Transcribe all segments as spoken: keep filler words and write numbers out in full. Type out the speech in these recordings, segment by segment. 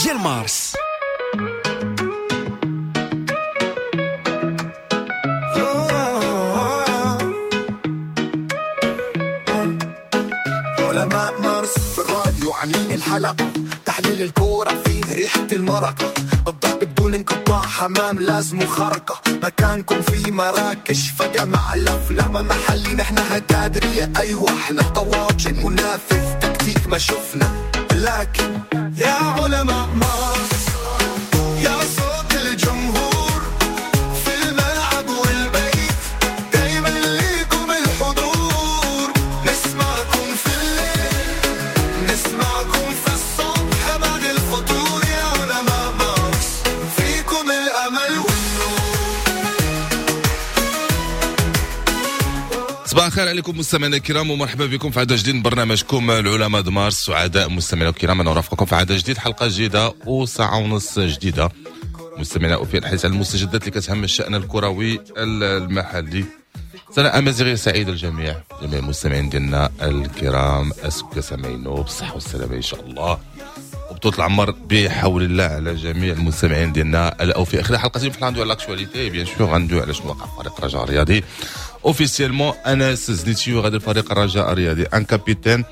ديال مارس. علماء مارس في الراديو عاملين الحلقة، تحليل الكورة فيه ريحة المرقة، الضرب بدون انقطاع، حمام لازم خرقة، مكانكم في مراكش فجأة مع الأفلام محلي، نحن هتادرية أيوة احنا طواجن منافذ تكتيك ما شفنا، لكن يا علماء مارس يا صوت الجمهور في الملعب والبيت، دايما ليكم الحضور، نسمعكم في الليل نسمعكم في الصبح بعد الفطور، يا علماء مارس فيكم الأمل والنور. صباح الخير عليكم مستمعينا الكرام، ومرحبا بكم في عدد جديد من برنامجكم العلماء د مارس. سعداء مستمعينا الكرام انا ارافقكم في عدد جديد، حلقة جديدة وساعة ونص جديدة. مستمعينا وفي الحديث عن المستجدات اللي كتهم الشان الكروي المحلي. سنة امازيغيه سعيدة للجميع، جميع المستمعين ديالنا الكرام، اسكا سامعينو بالصحة والسلامة ان شاء الله، وبطولة العمر بحول الله على جميع المستمعين ديالنا الاوفياء. خلال حلقة اليوم غندوي على l'actualité، bien sûr غندوي على شنو وقع في فريق الرجاء الرياضي. officiellement انس زنيتي يغادر فريق الرجاء الرياضي، un capitaine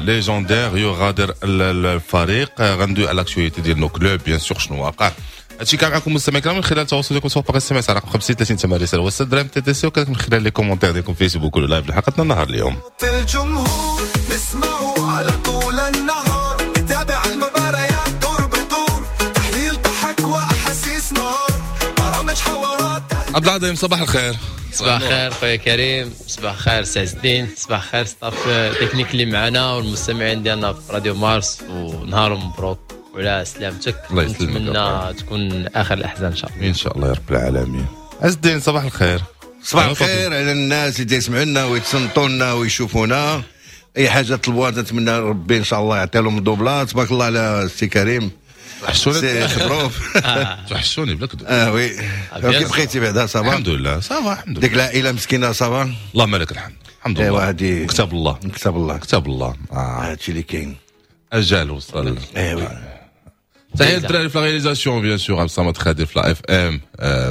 légendaire يغادر الفريق. غندوي على l'actualité ديال nos clubs، bien sûr شنو واقع. هادشي كان معكم مستمعين الكرام من خلال التواصل ديالكم سواء par SMS على رقم خمسين ثلاثين ثمانية رسالة وستة دراهم TTC، وكذلك من خلال les commentaires ديالكم فيسبوك ولا live لحلقتنا النهار اليوم. الجمهور نسمعوا على طول النهار، نتابع المباريات دور بدور، تحليل ضحك واحاسيس نار، برامج حوارات. عبد العظيم صباح الخير. صباح الخير خويا كريم، صباح الخير سي عز الدين، صباح الخير staff technique اللي معنا والمستمعين ديالنا في راديو مارس، ونهار مبروك وعلى سلامتك. الله يسلمك، نتمنى تكون اخر الاحزان ان شاء الله. ان شاء الله يا رب العالمين. عز الدين صباح الخير. صباح الخير على الناس اللي تسمعونا ويتصنتونا ويشوفونا. اي حاجة طلبوها نتمنى ربي ان شاء الله يعطي لهم double. تبارك الله على السي كريم، توحشوني خبروف توحشوني بلا كذوب. اه oui، كيف بقيتي بعدا؟ ça va الحمد لله، ça va الحمد لله. ديك العائلة مسكينه ça va؟ اللهم لك الحمد، الحمد لله. ايوا كتاب الله، كتاب الله، كتاب الله. هادشي اللي كاين، اجال وصل. ايوا تحية للدراري في la réalisation، bien sûr عبد الصمد خادر في la FM،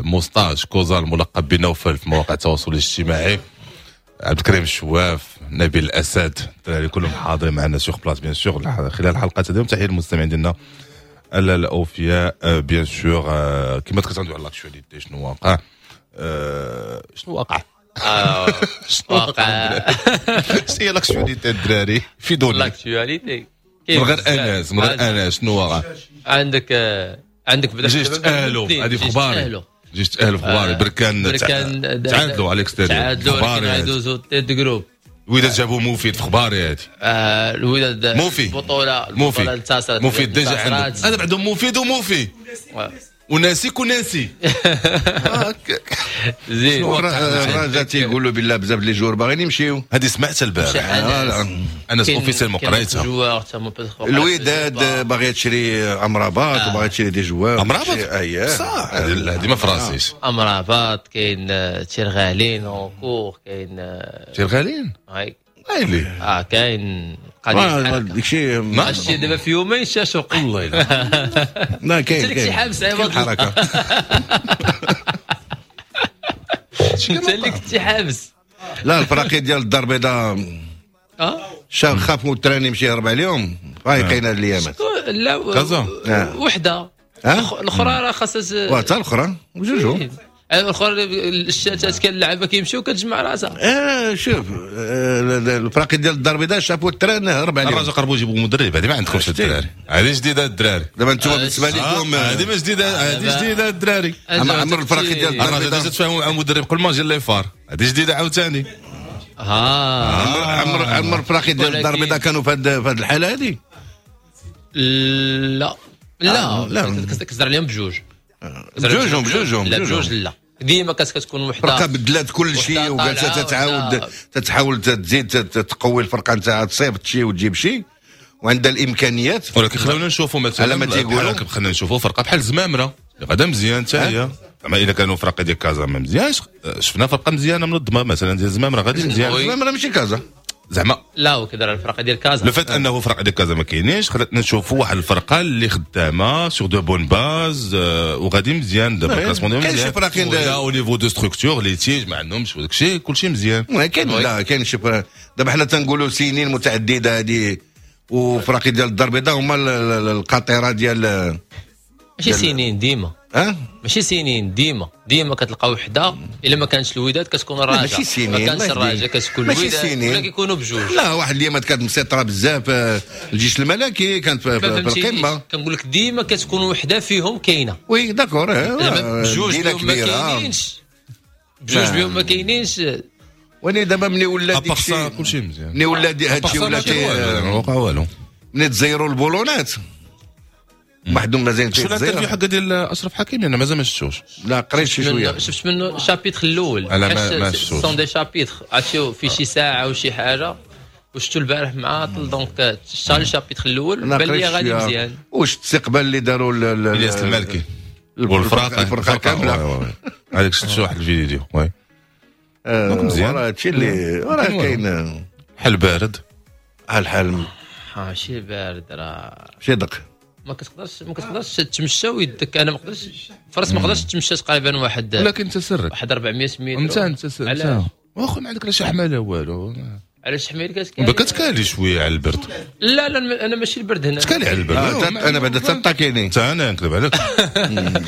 موستاج كوزا الملقب بنوفل في مواقع التواصل الاجتماعي، عبد الكريم الشواف، نبيل الاسد، الدراري كلهم حاضرين معنا sur place bien sûr خلال الحلقة اليوم. تحية للمستمعين ديالنا الاوفياء bien sûr. كما تكتعندوا على l'actualité شنو واقع، شنو واقع شنو واقع، شنو هي l'actualité الدراري في دوني l'actualité من غير انس، من غير انس شنو واقع عندك؟ عندك جيش تاهلوا، هذه في اخباري، جيش تاهلوا في اخباري. بركان بركان تعادلوا على l'extérieur، تعادلوا ولكن غيدوزوا tête de groupe. الوداد جابوا مفيد في اخباري هذه. آه الوداد موفي البطولة، موفي البطولة مفيد déjà عنده، انا بعدهم مفيد وموفي وناسيك وناسي. زين الرجاء تيقولوا بالله بزاف les joueurs باغيين يمشيو. هذه سمعتها البارح انا officiellement قريتها. الوداد باغية تشري امرابات وباغيه تشري des joueurs. امرابات اييه صح، هذه ما فراسيش. امرابات كاين تيرغالين encore، كاين تيرغالين ايلي اه كاين قضية داكشي ماشي دابا في يومين شاشوق والله لا كاين انت اللي حابس عوض الحركة، انت اللي كنتي حابس. لا الفراقي ديال الدار البيضاء اه خافوا ال train يمشي يهرب عليهم، فايقين هاد الايامات. لا كازا وحده الاخرى راه خاصها وحتى الاخرى وجوجو الاخرى الشتات كان اللعابه كيمشيو كتجمع راسها. اه شوف الفراقي ديال الدار البيضاء شافوا ال train هرب عليهم. الرجاء قربوا يجيبوا مدرب، هذه ما عندكمش الدراري، هذه جديدة الدراري. دابا انتم بالنسبة لكم هذه ما جديدة، هذه جديدة الدراري. عمر الفراقي ديال الدار البيضاء déjà تفاهموا مع مدرب قبل ما يجي les FAR، هذه جديدة عاوتاني. اه عمر عمر الفراقي ديال الدار البيضاء كانوا في هذه الحالة هذه؟ لا لا لا كتهضر عليهم بجوج بجوجهم بجوجهم لا بجوج لا ديما كتكون وحده فرقه بدلات كل شيء وجالسه تتعاود تتحاول تزيد تقوي الفرقة نتاعها، تصيفط شي وتجيب شي وعندها الامكانيات. ولكن خلونا نشوفوا مثلا على ما تيقولوا خلينا نشوفوا فرقه بحال زمامرة غدا مزيان حتى هي، زعما الا كانوا فرقه ديال كازا ما مزيانش، شفنا فرقه مزيانه منظمة مثلا ديال زمامرة غادي مزيان. زمامرة ماشي كازا. زعما لا وكذا الفرق ديال كازا le fait انه فرق ديال كازا ما كاينينش خلاتنا نشوفوا واحد الفرقة اللي خدامه sur de bonnes bases وغادي مزيان دابا ال classement ديالهم كاين مزيان شي فراقين لا au niveau de structure les tiges ما عندهمش وداك الشيء كلشي مزيان كاين لا كاين شي دابا حنا تنقولوا سنين متعددة هذه وفراقي ديال الدار البيضاء هما القاطره ديال ماشي سنين ديما ها ماشي سنين ديما ديما كتلقى وحده الا ما كانش الوداد كتكون الرجاء ماشي سنين ما كانش الرجاء كتكون الوداد ولا كيكونوا بجوج لا واحد الايامات كانت مسيطرة بزاف آه، الجيش الملكي كانت في, في القمه كنقول لك ديما كتكون وحده فيهم كاينه oui d'accord بجوج بهم ما كاينينش بجوج بهم ما كاينينش وني دابا ملي ولا ديك الشيء كلشي مزيان ملي ولا هادشي ولا ما وقع والو ملي تزيروا البولونات وحدهم مازال شو ال interview حق ديال اشرف حكيمي انا مازال ما شفتوش لا قريت شي شوية شفت منه chapitre الاول انا ما ما شفتوش sont des chapitres عرفتي في شي ساعة وشي حاجة وشفتو البارح معاطل donc شتا ال chapitre الاول بان لي غادي مزيان واش الاستقبال اللي داروا الياس المالكي والفرقة الفرقة كاملة هذاك شفت واحد الفيديو oui donc مزيان هادشي اللي راه كاين حل بارد الحال ماشي بارد راه ماشي دق ما كتقدرش ما كتقدرش تمشى ويدك انا ما قدرتش فرس ما قدرتش تمشى تقريبا واحد ولكن انت سرك واحد أربعمية متر انت انت انت واخا ما عندك لا شي حماله والو علاش حمايل كتكالي كتكالي شوية على البرد لا لا انا ماشي البرد هنا تكالي على البرد آه انا بعدا تطاكيني حتى انا نكذب عليك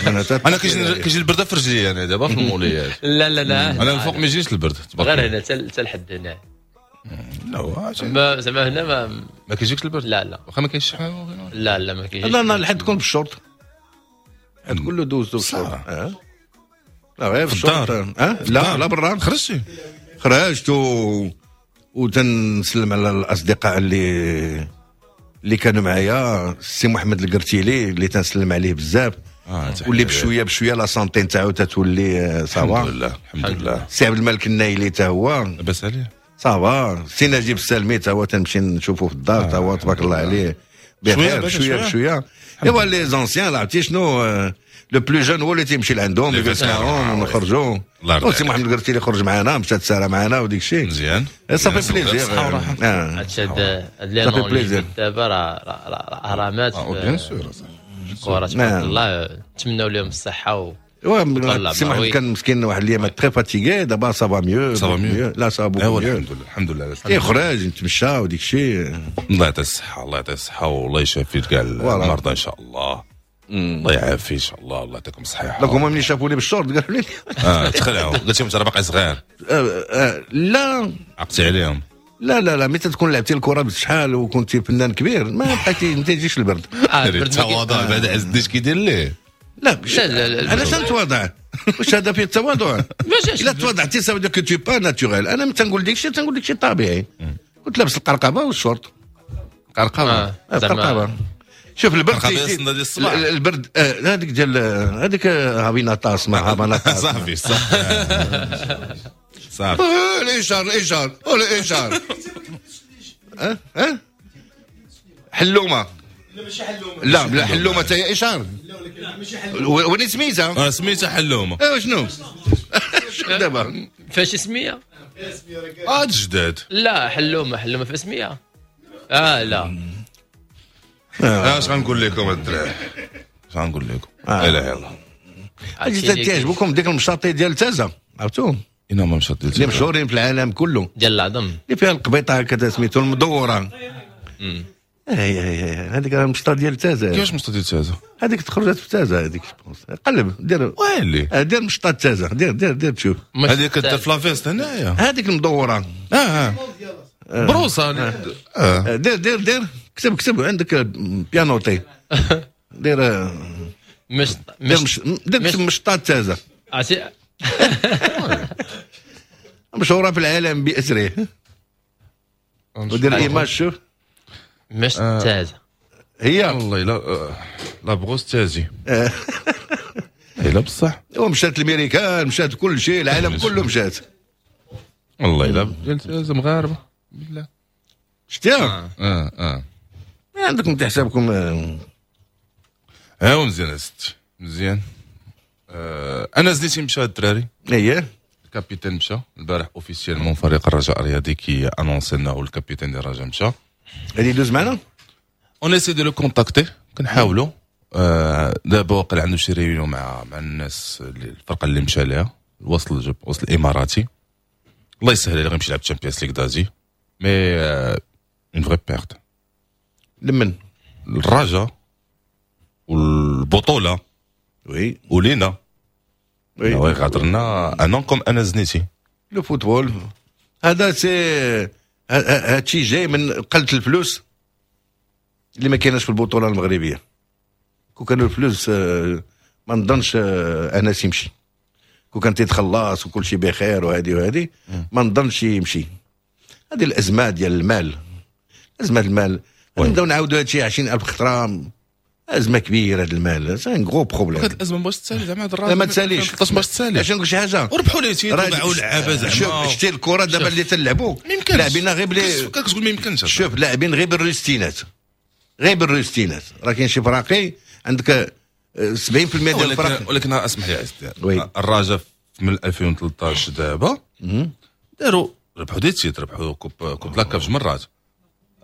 انا انا كيجي كيجي البرد في رجلي انا دابا في الموليات لا لا لا انا الفوق ما يجيش البرد غير هنا حتى لحد هنا لا زعما هنا ما ما كيجيكش البرد لا لا واخا ما كاينش شي حاجة لا لا ما كاينش لا لا الحد تكون بالشورت الحد كله دوزتو بالشورت لا غير في الشورت اه لا لا برا خرجتي خرجت و وتنسلم على الاصدقاء اللي اللي كانوا معايا السي محمد القرتيلي اللي تنسلم عليه بزاف آه واللي بشوية بشوية la santé نتاعو تتولي ça va الحمد لله الحمد لله السي عبد الملك النايلي تا هو لاباس عليه ça va سي نجيب السلمي تا هو تنمشي نشوفو في الدار تا هو تبارك الله عليه بخير بشوية بشوية ايوا les anciens عرفتي شنو le plus jeune هو اللي تيمشي لعندهم يجلس معاهم ونخرجوا سي محمد القرتيلي خرج معنا مشى تسارى معنا وديك الشيء مزيان ça fait plaisir هادشي هاد les noms دابا راه اهرامات bien sûr الكره تبارك الله نتمناو لهم الصحة و سي محمد كان مسكين واحد الايام très fatigué دابا ça va mieux ça va mieux لا ça va mieux الحمد لله الحمد لله تيخرج نتمشى وديك الشيء الله يعطيه الصحة الله يعطيه الصحة والله يشافي كاع المرضى ان شاء الله الله يعافي ان شاء الله الله يعطيكم الصحة donc هما ملي شافوني بالشورت قالوا لي اه تخلعوا قلت لهم انت راه باقي صغير لا عقتي عليهم لا لا لا متى تكون لعبتي الكره بشحال وكنتي فنان كبير ما بقيتي ما تيجيش البرد التواضع بعد عز الدين كيدير ليه لا لا لا لا علاش نتواضع واش هذا فيه التواضع الا تواضعتي ça veut dire que t'es pas naturel انا ملي تنقول ديك الشيء تنقول ديك الشيء طبيعي كنت لابس القرقبه والشورت قرقبه القرقبه شوف البرد البرد هذيك ديال هذيك هابيناطاس ما هابيناطاس صافي صافي صافي الاشار الاشار الاشار ها ها حلومه لا ماشي حلومه لا لا حلومه حتى هي اشار لا ولكن ماشي حلومه وين سميتها اه سميتها حلومه ايوا شنو شنو دابا فاش سميه اه جداد لا حلومه حلومه في سميه اه لا اه اش غنقول لكم الدراري اش غنقول لكم لا اله الا الله اجي تعجبكم ديك المشاطي ديال تازا عرفتوهم إنهم مشاطي ديال اللي مشهورين في العالم كله ديال العظم اللي فيها القبيطه هكذا سميتو المدوره هي هي هذيك راه المشطه ديال تازا كيفاش مشطه ديال تازا هذيك تخرجت في تازا هذيك قلب دير ويلي دير مشطه تازا دير دير دير تشوف هذيك كدير في la veste هنايا هذيك المدوره اه اه بروسه آه. دير دير دير كتب كتب عندك bien noté دير مش دير مش دير مشطه تازا عرفتي مشهورة في العالم باسره ودير image شوف مش تازا هي والله لا la brosse تازي لا بصح ومشات الامريكان مشات كل شيء العالم كله مشات والله الا ديال تازا مغاربة بالله شتيها اه اه عندكم تحسابكم ها هو مزيان ستي مزيان آه انا زديتي مشى الدراري اييه ال capitaine مشى البارح officiellement، فريق الرجاء الرياضي qui annonce انه ال capitaine ديال الرجاء مشى. غادي يدوز معنا. on essaie de le contacter، كنحاولوا. آه، دابا واقع عنده شي réunion مع مع الناس اللي الفرقة اللي مشى لها، الوصل وصل الاماراتي. الله يسهل عليه، غيمشي يلعب Champions League d'Asie، mais une vraie perte. لمن؟ الرجاء والبطوله. oui. ولينا. oui. غادرنا un homme comme انس زنيتي. le football هذا c'est هادشي جاي من قلة الفلوس اللي ما كايناش في البطولة المغربيه. كون كانوا الفلوس آه، ما نظنش آه، انس يمشي. كون كان تيتخلص وكل شيء بخير وهذه وهذه، ما نظنش يمشي. هذه الازمة ديال المال، ازمة المال. نبداو نعاودوا هادشي عشرين ألف خطره. ازمة كبيرة هذا المال، c'est un gros problème. هاد الازمة باش تسالي زعما هاد لا، ما تساليش. باش تسالي. عشان نقول شي حاجه. وربحوا les titres وباعوا لعابه زعما. شوف، شتي الكره دابا اللي تلعبوا ما يمكنش. لاعبين غير بلي كتقول ما يمكنش. شوف، لاعبين غير بالريستينات، غير بالريستينات. راه كاين شي فراقي عندك آه، سبعين في المية ديال الفرق. ولكن ولكن اسمح لي عز، oui. الرجاء من ألفين وثلاثة عشر دابا داروا، ربحوا des titres، ربحوا coupe coupe la CAF جوج مرات،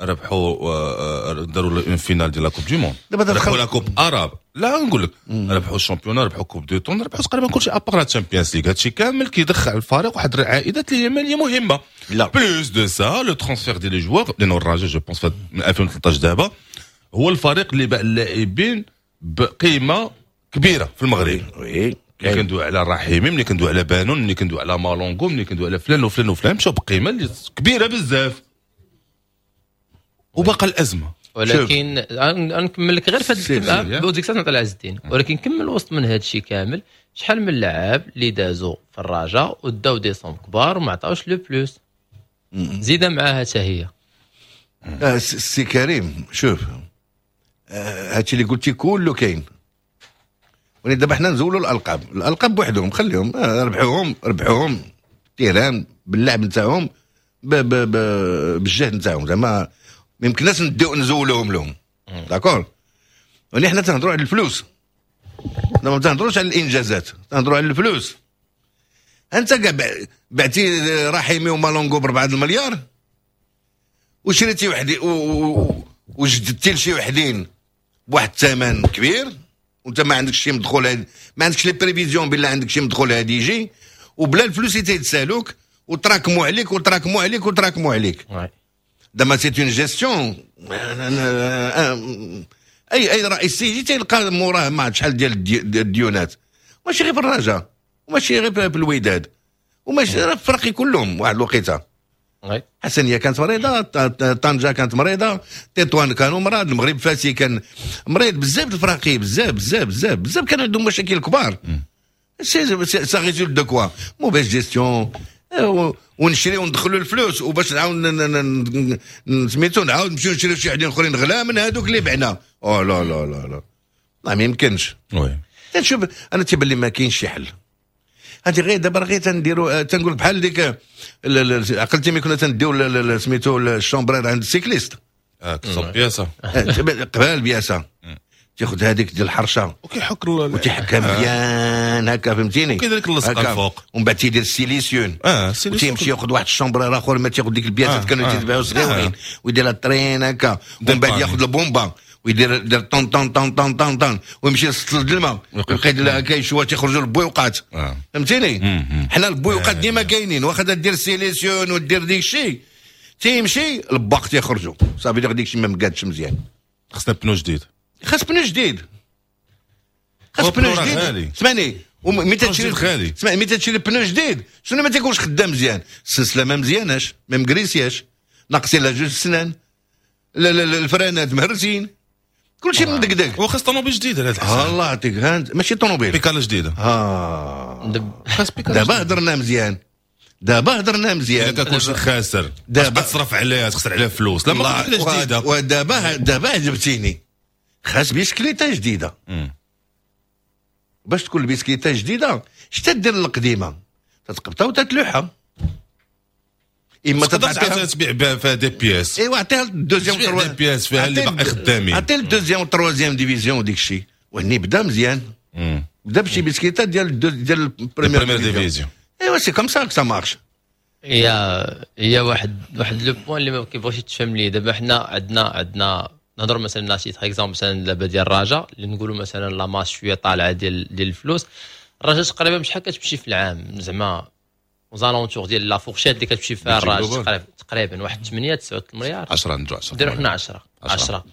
ربحوا آه، آه، داروا une finale ديال la Coupe du monde. دابا ربحوا تدخل la Coupe arabe. لا، نقول لك ربحوا ال championnat، ربحوا Coupe du Trône، ربحوا تقريبا كلشي à part la Champions League. هادشي كامل كيدخل الفريق واحد العائدات اللي هي ماليه مهمه. لا. plus de ça le transfert ديال les joueurs، لانه الرجاء je pense من ألفين وثلاثة عشر دابا هو الفريق اللي باع اللاعبين بقيمة كبيرة في المغرب. oui. ملي كندوي على الرحيمي، ملي كندوي على بانون، ملي كندوي على مالونغو، ملي كندوي على فلان وفلان وفلان، مشاو بقيمة اللي كبيرة بزاف وباقى الازمه. ولكن نكمل لك غير في سير، هذا وديك الساعة نعطي عز الدين، ولكن كمل وسط من هذا الشيء كامل، شحال من لعاب اللي دازوا في الرجاء وداو des sommes كبار وما عطاوش le plus، زيد معاها حتى هي. آه، سي كريم، شوف، آه، هادشي اللي قلتي كله كاين، ولكن دابا حنا نزولوا الالقاب، الالقاب بوحدهم خليهم، آه، ربحوهم، ربحوهم terrain باللعب نتاعهم، بالجهد نتاعهم، زعما ما يمكنناش نديو نزولوهم لهم، d'accord. ولكن حنا تنهضروا على الفلوس، ما تنهضروش على الانجازات، تنهضروا على الفلوس. انت كاع بعتي رحيمي ومالونغو بربعة المليار وشريتي وحدي وجددتي لشي وحدين بواحد الثمن كبير، وانت ما عندكش شي مدخول، ما عندكش les prévisions بلا عندك شي مدخول هادي يجي، وبلا الفلوس اللي تيتسالوك وتراكموا عليك وتراكموا عليك وتراكموا عليك. دابا c'est une gestion. اي اي رئيس يجي تيلقى موراه ما شحال ديال الديونات، ماشي غير في الرجاء وماشي غير في الوداد وماشي في الفرق كلهم. واحد الوقيته حسنيه كانت مريضه، طنجه كانت مريضه، تطوان كانوا مرض، المغرب فاسي كان مريض، بزاف الفراقي، بزاف بزاف بزاف بزاف كان عندهم مشاكل كبار. ça résulte de quoi؟ mauvaise gestion. ونشري وندخلوا الفلوس وباش نعاود سميتو نعاود نمشيو نشريو شي وحدين اخرين غلا من هذوك اللي بعنا. او لا لا لا لا لا، ما يمكنش. oui. تنشوف انا تيبان لي ما كاينش شي حل. هادي غير دابا غير تنديروا، تنقول بحال ديك عقلتي ملي كنا تنديو سميتو ال chambre à air عند ال cycliste. اه، تصب بياسه. قبال بياسه، تاخذ هذيك ديال الحرشه وكيحك. وتيحكها مزيان هكا، فهمتيني؟ وكذلك اللصقه الفوق. ومن بعد تيدير ال silicium. اه. وتيمشي ياخذ واحد ال chambre à air اخر، ما تياخذ ديك البياسات آه. كانوا تيتباعوا صغيورين آه. ويدير ال train هكا، ومن بعد ياخذ البومبا ويدير دير طن طن طن طن طن طن ويمشي للسطل الماء ويبقى يدير هكا شويه، تيخرجوا البويوقات، فهمتيني؟ حنا البويوقات ديما كاينين، واخا دير silicium ودير ديك الشيء، تيمشي الباق تيخرجوا، صافي ديك الشيء ما مقادش مزيان. خصنا pneu جديد. خاص pneu جديد، خاص pneu جديد. اسمعني، ملي تشري غالي. اسمعني، ملي تشري pneu جديد شنو ما تيكونش خدام مزيان؟ السلسلة ما مزياناش، ما مكريسياش، ناقصين لا جوج سنان، لا لا الفرانات مهرسين، كلشي مدقدق. وخاص طوموبيل جديدة هذا الحساب. الله يعطيك، ماشي طوموبيل. بيكالا جديده. ها دابا هضرنا مزيان، دابا هضرنا مزيان. اذا كلشي خاسر، دابا تصرف عليها، تخسر عليها فلوس، لا ما جديده. ودابا دابا عجبتيني، خاص بيسكليته جديده. باش تكون البيسكليته جديدة شتا دير القديمه؟ تتقبطها وتتلوحها. اما تقدر تبيع فيها des pièces. ايوا عطيها ال deuxième. des pièces فيها اللي باقي خدامين. عطيها ال deuxième و troisième division وديك الشيء، وهني بدا مزيان، بدا بشي بيسكليته ديال ديال ال première division. ايوا. ايوا c'est comme ça que ça marche. هي هي واحد واحد le point اللي ما كيبغيش يتفهم ليه. دابا حنا عندنا عندنا نهضروا مثلا نعطي exemple مثلا دابا ديال الرجاء اللي نقولوا مثلا la masse شوية طالعه ديال ديال الفلوس. الرجاء تقريبا شحال كتمشي في العام زعما aux alentours ديال la fourchette اللي كتمشي فيها الرجاء تقريبا تقريبا واحد ثمانية تسعة المليار، عشرة نديرو عشرة، نديرو حنا عشرة عشرة.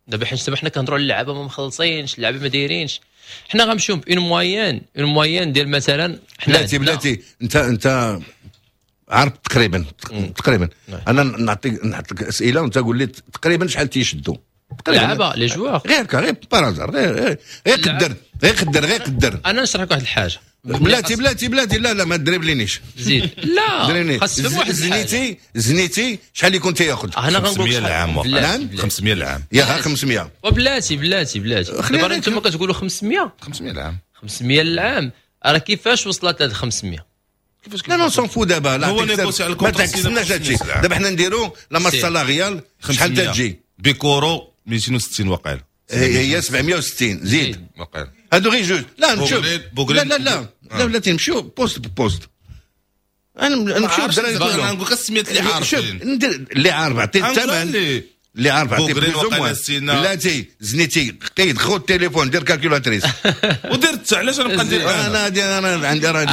دابا حيت دابا حنا كنهضروا على اللعابه ما مخلصينش، اللعابه ما دايرينش، حنا غنمشيو ب une moyenne une moyenne ديال مثلا حنا بلاتي بلاتي انت انت عارف تقريبا تقريبا انا نعطيك نحط لك اسئلة وانت قول لي تقريبا شحال تيشدوا لعابه les joueurs غير غير par hasard، غير غير قدر غير قدر غير قدر. انا نشرح لك واحد الحاجة بلاتي بلاتي بلاتي لا لا ما دريبلينيش زيد لا خاص تفهم واحد زنيتي زنيتي شحال يكون تياخذ؟ انا غنقول خمسمية العام. نعم خمسمية العام يا خمسمية. وبلاتي بلاتي بلاتي دابا انتم كتقولوا خمسمية خمسمية العام خمسمية العام، راه كيفاش وصلت لهاد خمسمية؟ كيفاش؟ لا non s'en fout دابا، لا هو négocié على ما تعكسناش هادشي. دابا حنا نديرو la masse salariale شحال تجي؟ بيكورو ميتين وستين وقيل، هي سبعمية وستين زيد وقيل هادو غير جوج. لا نمشيو لا لا لا لا بلاتي نمشيو poste ب poste. انا نمشيو الدراري كلهم، انا نقول لك السميات اللي عارفين، ندير اللي عارف عطي الثمن اللي عارف عطي plus ou moins. بلاتي زنيتي قيد خذ التليفون دير calculatrice ودرت. علاش انا نبقى ندير؟ انا انا عندي راه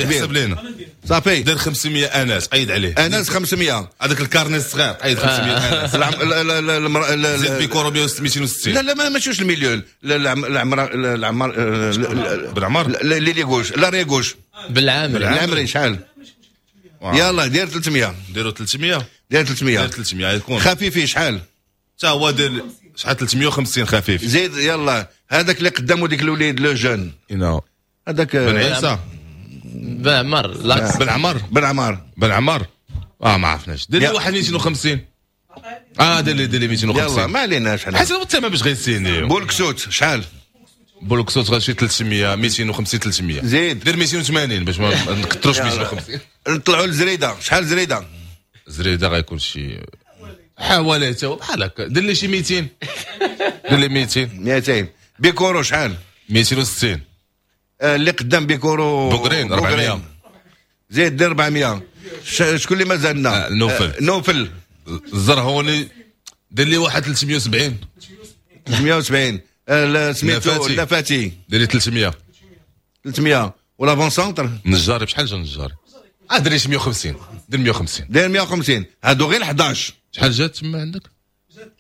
حسب لينا صافي. دير خمسمية انس قيد عليه، انس خمسمية، هذاك ال carnet الصغير قيد خمسمية انس. زيد بيكورو ميتين وستين. لا لا ما ماشيوش المليون. العمر العمر بالعمر l'ailier gauche l'arrière gauche بالعامري بالعامري شحال؟ يلا دير ثلاثمية، ديروا ثلاثمية، دير ثلاثمية، دير ثلاثمية يكون خفيفي شحال؟ حتى هو دير شحال؟ ثلاثمية وخمسين خفيف. زيد يلا هذاك اللي قدامه ديك الوليد le jeune هذاك بن عيسى بن عمر بن عمر بن عمر بن عمر اه ما عرفناش. دير لي واحد ميتين وخمسين. اه دير لي دير لي ميتين وخمسين. يلا ما عليناش حنا حسب الثمن باش غيسينيو. بولكسوت شحال؟ بولكسوت غاشي ثلاثمية ميتين وخمسين ثلاثمية. زيد دير ميتين وثمانين باش ما نكثروش ميتين وخمسين. نطلعوا لزريده شحال زريده؟ زريده غيكون شي حوالي تا هو بحال هكا. دير لي شي ميتين، دير لي ميتين ميتين. بيكورو شحال؟ ميتين وستين. اللي قدام بيكورو بوغرين أربعمية. زيد دير أربعمية. شكون اللي مازالنا؟ آه نوفل نوفل الزرهوني دير لي واحد ثلاثمية وسبعين. ثلاثمية وسبعين. سميتو نفاتي دير لي ثلاثمية. ثلاثمية. و l'avant-centre النجاري بشحال جا النجاري؟ اه دير لي مية وخمسين. دير مية وخمسين. دير مية وخمسين. هادو غير حداش. شحال جات تما عندك؟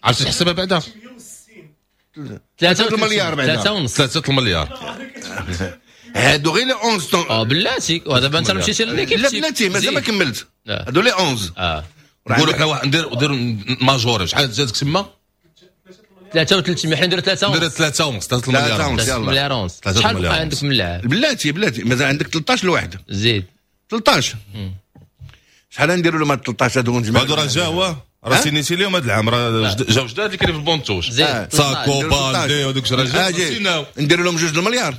عرفتي تحسبها بعدا؟ ثلاثة المليار بعدا. ثلاثة ونص. ثلاثة المليار. هادو غير les onze. اه بلاتي ودابا انت مشيتي l'équipe. لا بلاتي مازال ما كملت. هادو les onze. اه نقولوا حنا واحد ندير ندير majoré. شحال جاتك تما؟ ثلاثة وثلاثمية. حنا نديرو ثلاثة ونص. نديرو ثلاثة ونص. ثلاثة المليار ونص. ثلاثة المليار ونص. شحال بقى عندك من اللاعب؟ بلاتي بلاتي مازال عندك ثلاثطاش لواحد. زيد ثلاثطاش. شحال نديروا لهم هاد ثلاثطاش هادو نجمع؟ هادو راه جاوا راه سينيتي لهم هاد العام، راه جاو جداد اللي كاينين في ال banc de touche. ساكو بالدي ودوك راه جاو. نديروا لهم جوج المليار.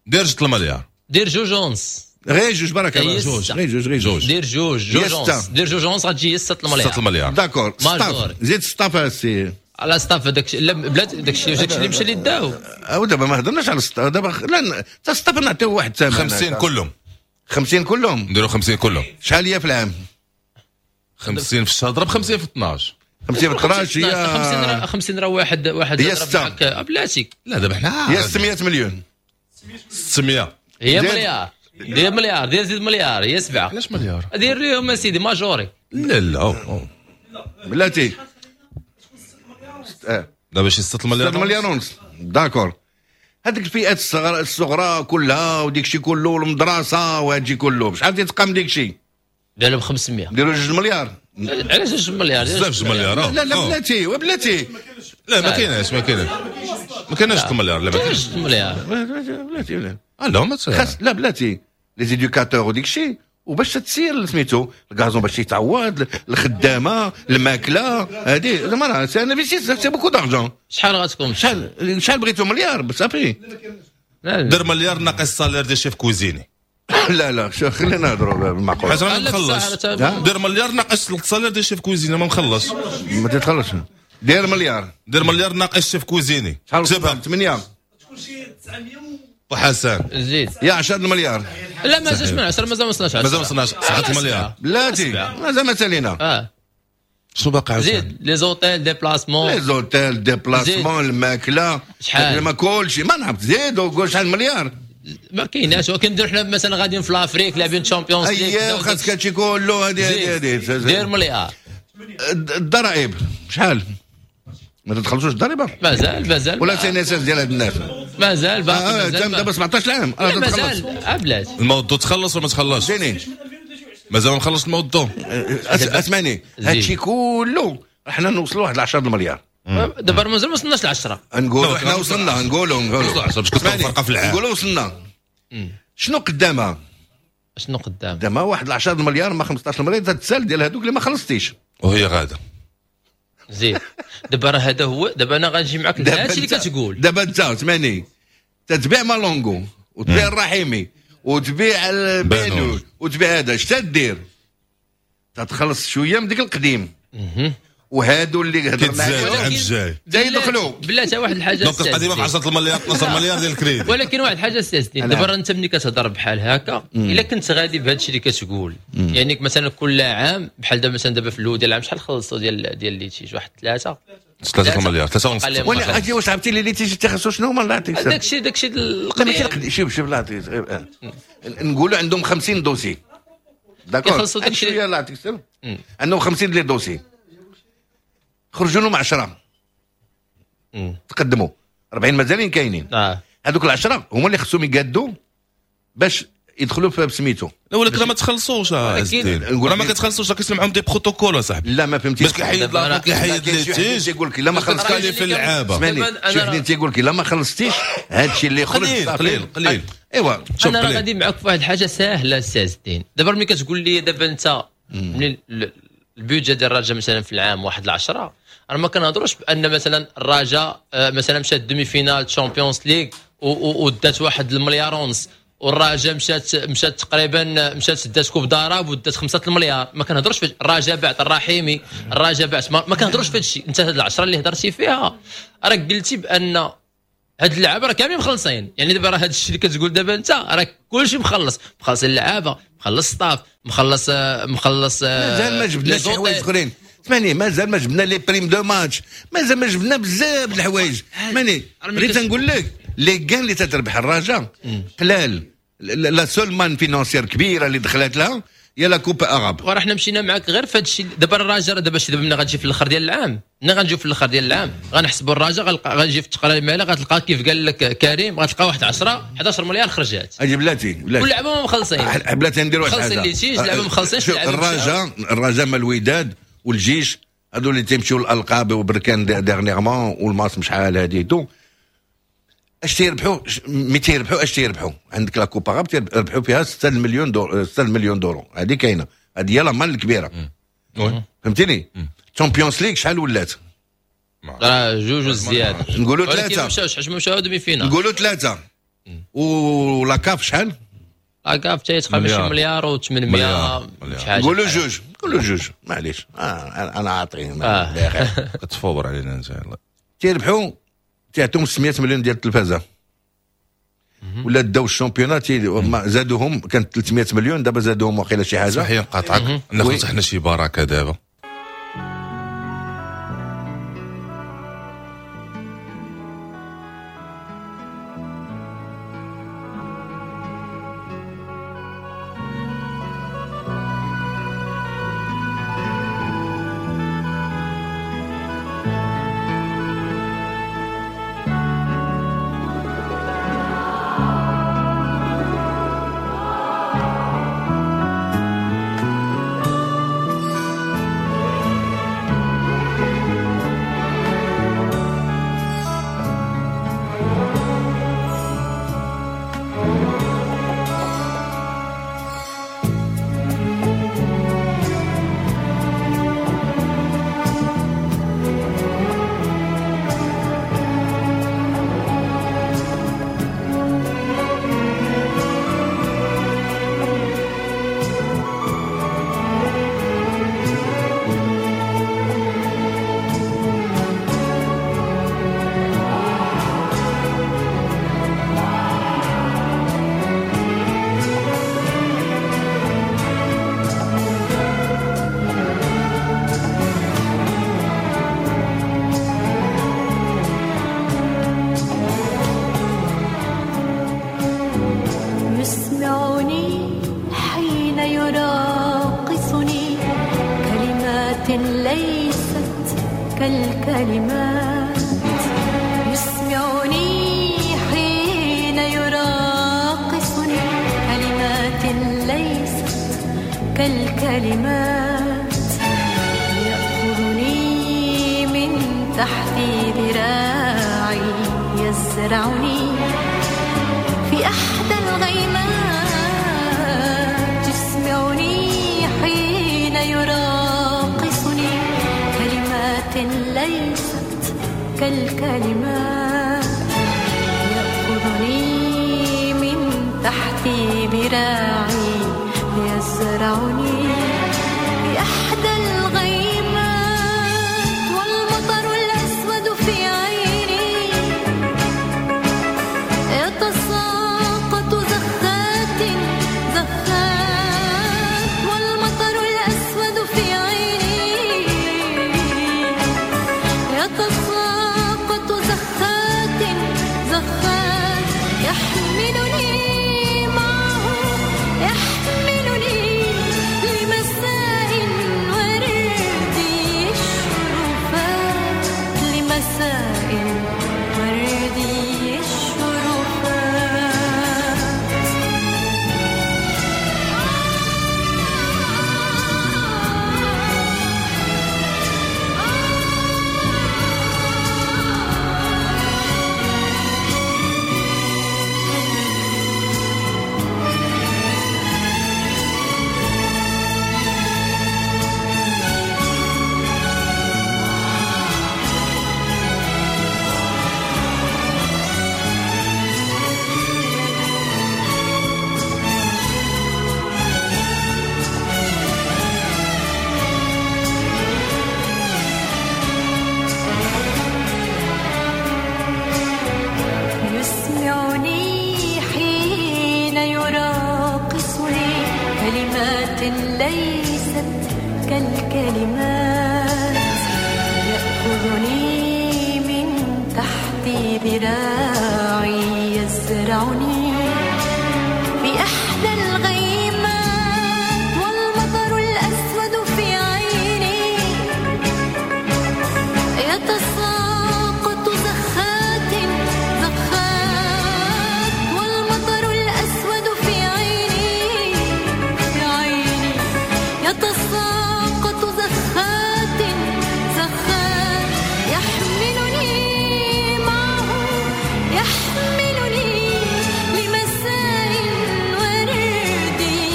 دير جوج المليار. دير جوج ونص. غير جوج بركة. جوج غير جوج غير جوج. دير جوج جوج ونص. دير جوج ونص غتجي ستة المليار. ستة المليار. d'accord. staff زيد staff السي على staff داك لا بلاد داك الشيء داك الشيء اللي مشى اللي داو. او دابا ما هضرناش على staff دابا. لا حتى staff نعطيو واحد الثمن. خمسين كلهم. خمسين كلهم. نديرو خمسين كلهم. شحال هي في العام؟ خمسين في الشهر ضرب خمسين في اثناش. خمسين في اثناش هي خمسين. خمسين راه واحد واحد هي ستة. بلاتي لا دابا حنا هي ستمية مليون. ستمية هي مليار. دير مليار. دير زيد مليار هي سبعة. علاش مليار؟ دير ليهم اسيدي majoré. لا لا بلاتي دابا شي ستة المليار. ستة المليار ونص. d'accord. هذيك الفئات الصغرى كلها وديك الشيء كله والمدرسة وهادشي كله شحال تيتقام ديك الشيء؟ داروا ب خمسمية. ديروا جوج مليار. علاش جوج مليار؟ بزاف جوج مليار. لا لا بلاتي وبلاتي. لا ما كايناش ما كايناش ما كايناش جوج مليار. لا ما كاينش جوج مليار. بلاتي بلاتي لا ما خاص. لا بلاتي les éducateurs وديك الشيء وباش تسير سميتو ال gazon باش يتعوض الخدامة الماكلة هذه زعما راه c'est un investissement c'est beaucoup d'argent. شحال غتكون؟ شحال شحال بغيتو مليار صافي؟ دير مليار ناقص salaire ديال chef cuisinier. لا لا شو خلينا نهضروا بالمعقول. حيت انا مخلص. دير مليار ناقص ال salaire ديال chef cuisinier ما مخلص. ما تتخلصش. دير مليار. دير مليار ناقص chef cuisinier. شحال؟ ثمانية. وحسن زيد يا عشرة المليار. لا ما زادش من عشرة، مازال ما وصلناش عشرة، مازال ما وصلناش سبعة المليار بلاتي مازال ما سالينا. اه شنو باقي زيد les hôtels déplacements، les hôtels déplacements، الماكلة شحال ما كلشي ما نعرف زيد وقول شحال مليار ما كايناش. ولكن حنا مثلا غاديين في l'Afrique لاعبين Champions League، اييه وخاصك هادشي كله هادي هادي دير مليار. الضرائب شحال ما تدخلوش الضريبة؟ مازال مازال ولا CNSS ديال هاد الناس مازال باقي. آه دابا سبعطاش عام آه مازال بلاتي. الموضوع تخلص ولا ما تخلصش؟ مازال ما مخلص الموضوع. اسمعني هادشي كله حنا نوصلوا واحد عشرة المليار دابا مازال ما وصلناش ل عشرة. نقولوا حنا وصلنا، نقولوا نقولوا باش كتكون فرقه في العام، نقولوا وصلنا. شنو قدامها؟ شنو قدام؟ قدامها واحد عشرة المليار ما خمسطاش المليار تتسال ديال هذوك اللي ما خلصتيش وهي غاده. زيد دابا راه هذا هو. دابا انا غنجي معاك لهادشي اللي كتقول دابا انت اسمعني تتبيع مالونغو وتبيع الرحيمي وتبيع البانو وتبيع هذا، اش تدير؟ تتخلص شوية من ديك القديم وهادو اللي هضرنا عليهم العام الجاي يدخلوا بلاتي واحد الحاجة. donc القديمة ب عشرة المليار اثنا عشر مليار ديال الكريدي. ولكن واحد الحاجة استاذ دابا انت ملي كتهضر بحال هكا الا كنت غادي بهذا الشيء اللي كتقول، يعني مثلا كل عام بحال دابا مثلا دابا في الاول ديال العام شحال خلصوا ديال ديال litiges؟ واحد ثلاثة ثلاثة مليار ثلاثة ونص. ولا اجي واش عرفتي les litiges تيخصو شنو هما؟ الله يعطيك داك الشيء داك الشيء القديم. شوف شوف الله يعطيك نقولوا عندهم خمسين dossiers d'accord يخلصوا داك الشيء. الله يعطيك السلام عندهم خمسين les dossiers خرجوا لهم عشرة تقدموا أربعين مازالين كاينين. هذوك العشرة هما اللي خصهم يقادوا باش يدخلوا في سميتو. لا ولكن ما تخلصوش راه ما كتخلصوش، راه كيسمعهم des protocoles اصاحبي. لا ما فهمتيش باش كيحيد لا كيحيد les litiges يقول لك لا ما خلصتيش في اللعابه. شي وحدين تيقول لك لا ما خلصتيش هادشي اللي خرج قليل قليل قليل. ايوا انا راه غادي معاك في واحد الحاجة ساهله استاذ الدين. دابا ملي كتقول لي دابا انت ملي ال budget ديال الرجاء مثلا في العام واحد العشرة، راه ما كنهضروش بان مثلا الرجاء مثلا مشات demi-finale Champions League ودات واحد المليار ونص، والرجاء مشات مشات تقريبا مشات دات Coupe d'Arabe ودات خمسة المليار. ما كنهضروش في الرجاء بعت الرحيمي، الرجاء بعت، ما, ما كنهضروش في هذا الشيء. انت هاد العشرة اللي هضرتي فيها راك قلتي بان هاد اللعابه راه كاملين مخلصين. يعني دابا راه هاد الشيء اللي كتقول دابا انت راه كلشي مخلص، مخلص اللعابه، مخلص staff، مخلص مخلص مازال ما جبناش شي حوايج اخرين. اسمعني مازال ما جبنا les primes de match، مازال ما جبنا بزاف د الحوايج. اسمعني بغيت نقول لك les gains اللي تتربح الرجاء قلال. la seule manne financière كبيرة اللي دخلت لها هي la Coupe arabe. وراه حنا مشينا معاك غير في هذا الشيء. دابا الرجاء دابا شي دابا ملي غتجي في الاخر ديال العام، ملي غنجيو في الاخر ديال العام غنحسبوا الرجاء، غنجي في التقرير المالي غتلقى كيف قال لك كريم غتلقى واحد عشرة أحد عشر مليار خرجات. اجي بلاتي بلاتي واللعابه ما مخلصين، بلاتي ندير واحد الحاجة مخلصين les litiges، اللعابه مخلصين. الرجاء الرجاء مع الوداد والجيش هادو اللي تيمشيو للالقاب وبركان dernièrement والماس شحال هادي tout اش تيربحوا؟ mais تيربحوا اش تيربحوا؟ عندك la Coupe arabe تيربحوا فيها ستة مليون دور، ستة مليون دورو. هذه كاينه، هذه هي la manne الكبيرة. فهمتيني؟ Champions League شحال ولات؟ راه جوج وزيادة، نقولوا ثلاثة. مشاوش حيت مشاو demi-finale، نقولوا ثلاثة. و la CAF شحال؟ la CAF حتى تقريبا شي مليار وثمانمية شحال. نقولوا جوج، نقولوا جوج معليش. آه انا عاطي آه. كتفور علينا انت. تيربحوا تيعطيهم ستمية مليون ديال التلفازه ولا داو ال championnat زادوهم كانت ثلاثمية مليون دابا زادوهم واقيلا شي حاجة. صحيح نقاطعك، ناخذ حنا شي بركة دابا. ليست كالكلمات، يسمعني حين يراقصني كلمات ليست كالكلمات، يأخذني من تحت ذراعي يزرعني في أحدى الغيمات، يسمعني حين يراقصني كلمات ليست كالكلمات، يأخذني من تحت ذراعي يزرعني في أحدى الغيمات، والمطر الأسود في عيني يتساقط زخات زخات، والمطر الأسود في عيني يتساقط زخات زخات، يحملني معه يحملني لمساء وردي الشرفات، لمساء وردي الشرفات. يسمعني حين يراقصني كلمات ليست كالكلمات، يأخذني من تحت ذراعي يزرعني في أحدى الغيمات، والمطر الأسود في عيني يتساقط زخات زخات، والمطر الأسود في عيني في عيني يتساقط زخات زخات، يحملني معه يحملني لمساء وردي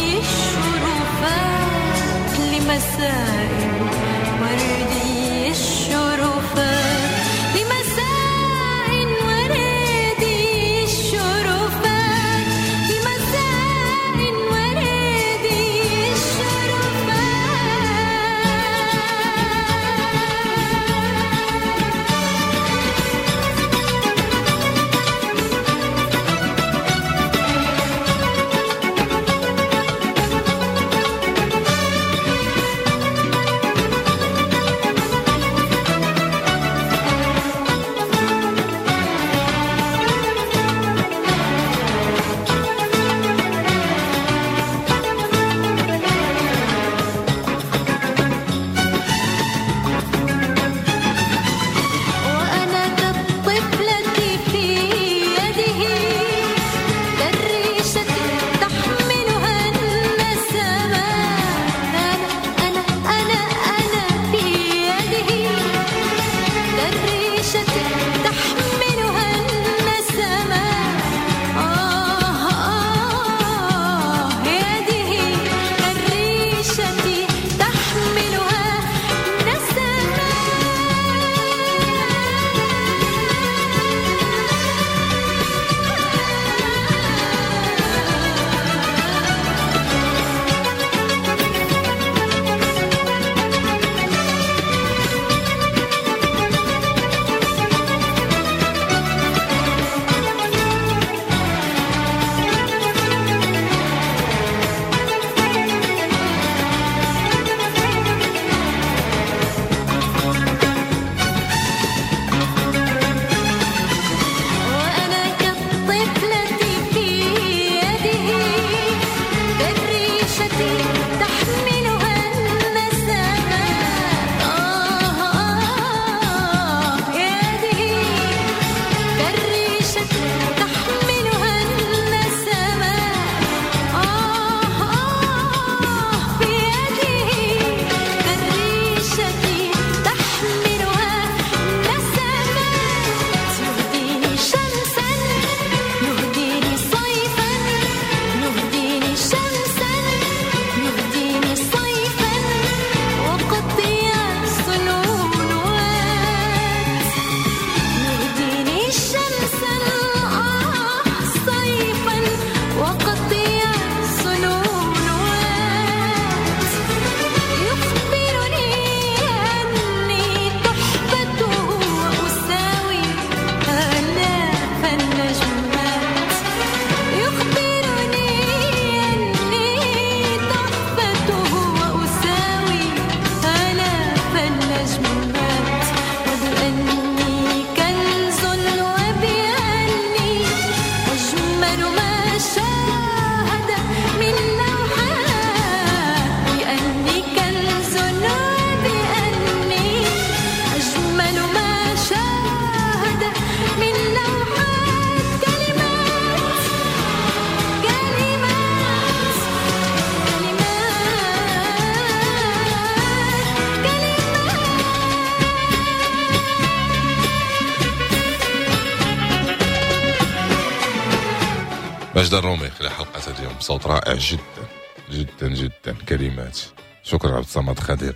ماجدة الرومي خلال حلقة اليوم بصوت رائع جدا جدا جدا، كلمات. شكرا عبد الصمد خدير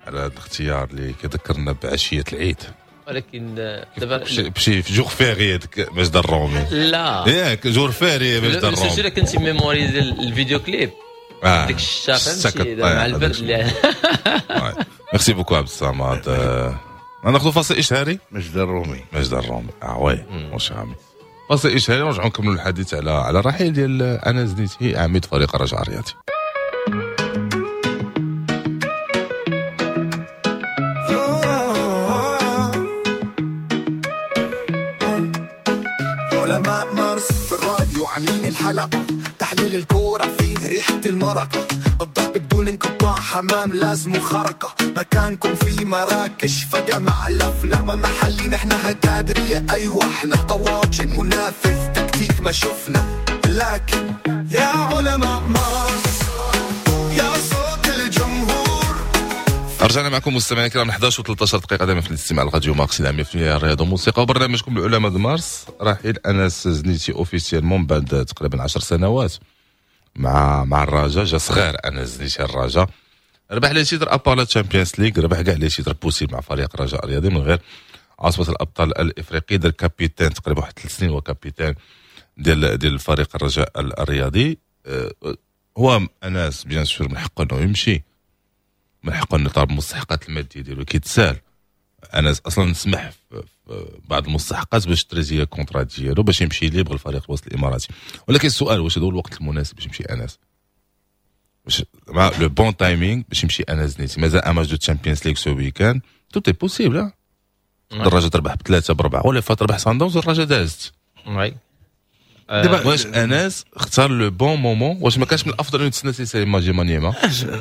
على هذا الاختيار اللي كيذكرنا بعشيه العيد. ولكن دابا بشي في jour férié ديك ماجدة الرومي. لا ياك jour férié ماجدة الرومي. surtout كنتي mémoriser ال vidéo clip ديك الشتا، فهمتي، مع البرد. merci beaucoup عبد الصمد. ناخذ فاصل اشهاري. ماجدة الرومي ماجدة الرومي اه oui واش عامي. فاصل اشهاري ونرجعوا نكملوا الحديث على على الرحيل ديال انس زنيتي عميد فريق الرجاء الرياضي. علماء مارس في الراديو عاملين الحلقة، تحليل الكورة فيه ريحة المرقة، الضرب بدون انقطاع، حمام لازم خرقة، مكانكم في مراكش فجأة مع الأفلام محلي، نحن هتادرية أيوة احنا طواجن، منافس تكتيك ما شفنا، لكن يا علماء مارس يا صوت الجمهور. رجعنا معكم مستمعينا الكرام احد عشر وثلاثة عشر دقيقة دائما في الاستماع لراديو مارس مية بالمية الرياضة والموسيقى وبرنامجكم العلماء د مارس. رحيل انس زنيتي officiellement بعد تقريبا عشر سنوات مع مع الرجاء. جا صغير انس زنيتي الرجاء، ربح les titres à part la Champions League، ربح كاع les titres possibles مع فريق الرجاء الرياضي من غير عصبة الابطال الافريقي. دار capitaine تقريبا واحد ثلاث سنين هو capitaine ديال ديال الفريق الرجاء الرياضي. هو انس bien sûr من حقه انه يمشي، من حقه انه يطالب المستحقات المادية ديالو كيتسال. انس اصلا سمح في بعض المستحقات باش تريزي contrat ديالو باش يمشي libre الفريق الوصل الاماراتي، ولكن السؤال واش هذا هو الوقت المناسب باش يمشي انس؟ واش مع le bon timing باش يمشي انس زنيتي؟ مازال un match de Champions League ce week-end، tout est possible. الرجاء تربح بثلاثة بربعه ولا فات تربح سان داونز الرجاء دازت. oui دابا واش انس اختار le bon moment؟ واش ما كانش من الافضل انه يتسنى سي ماجي مانيما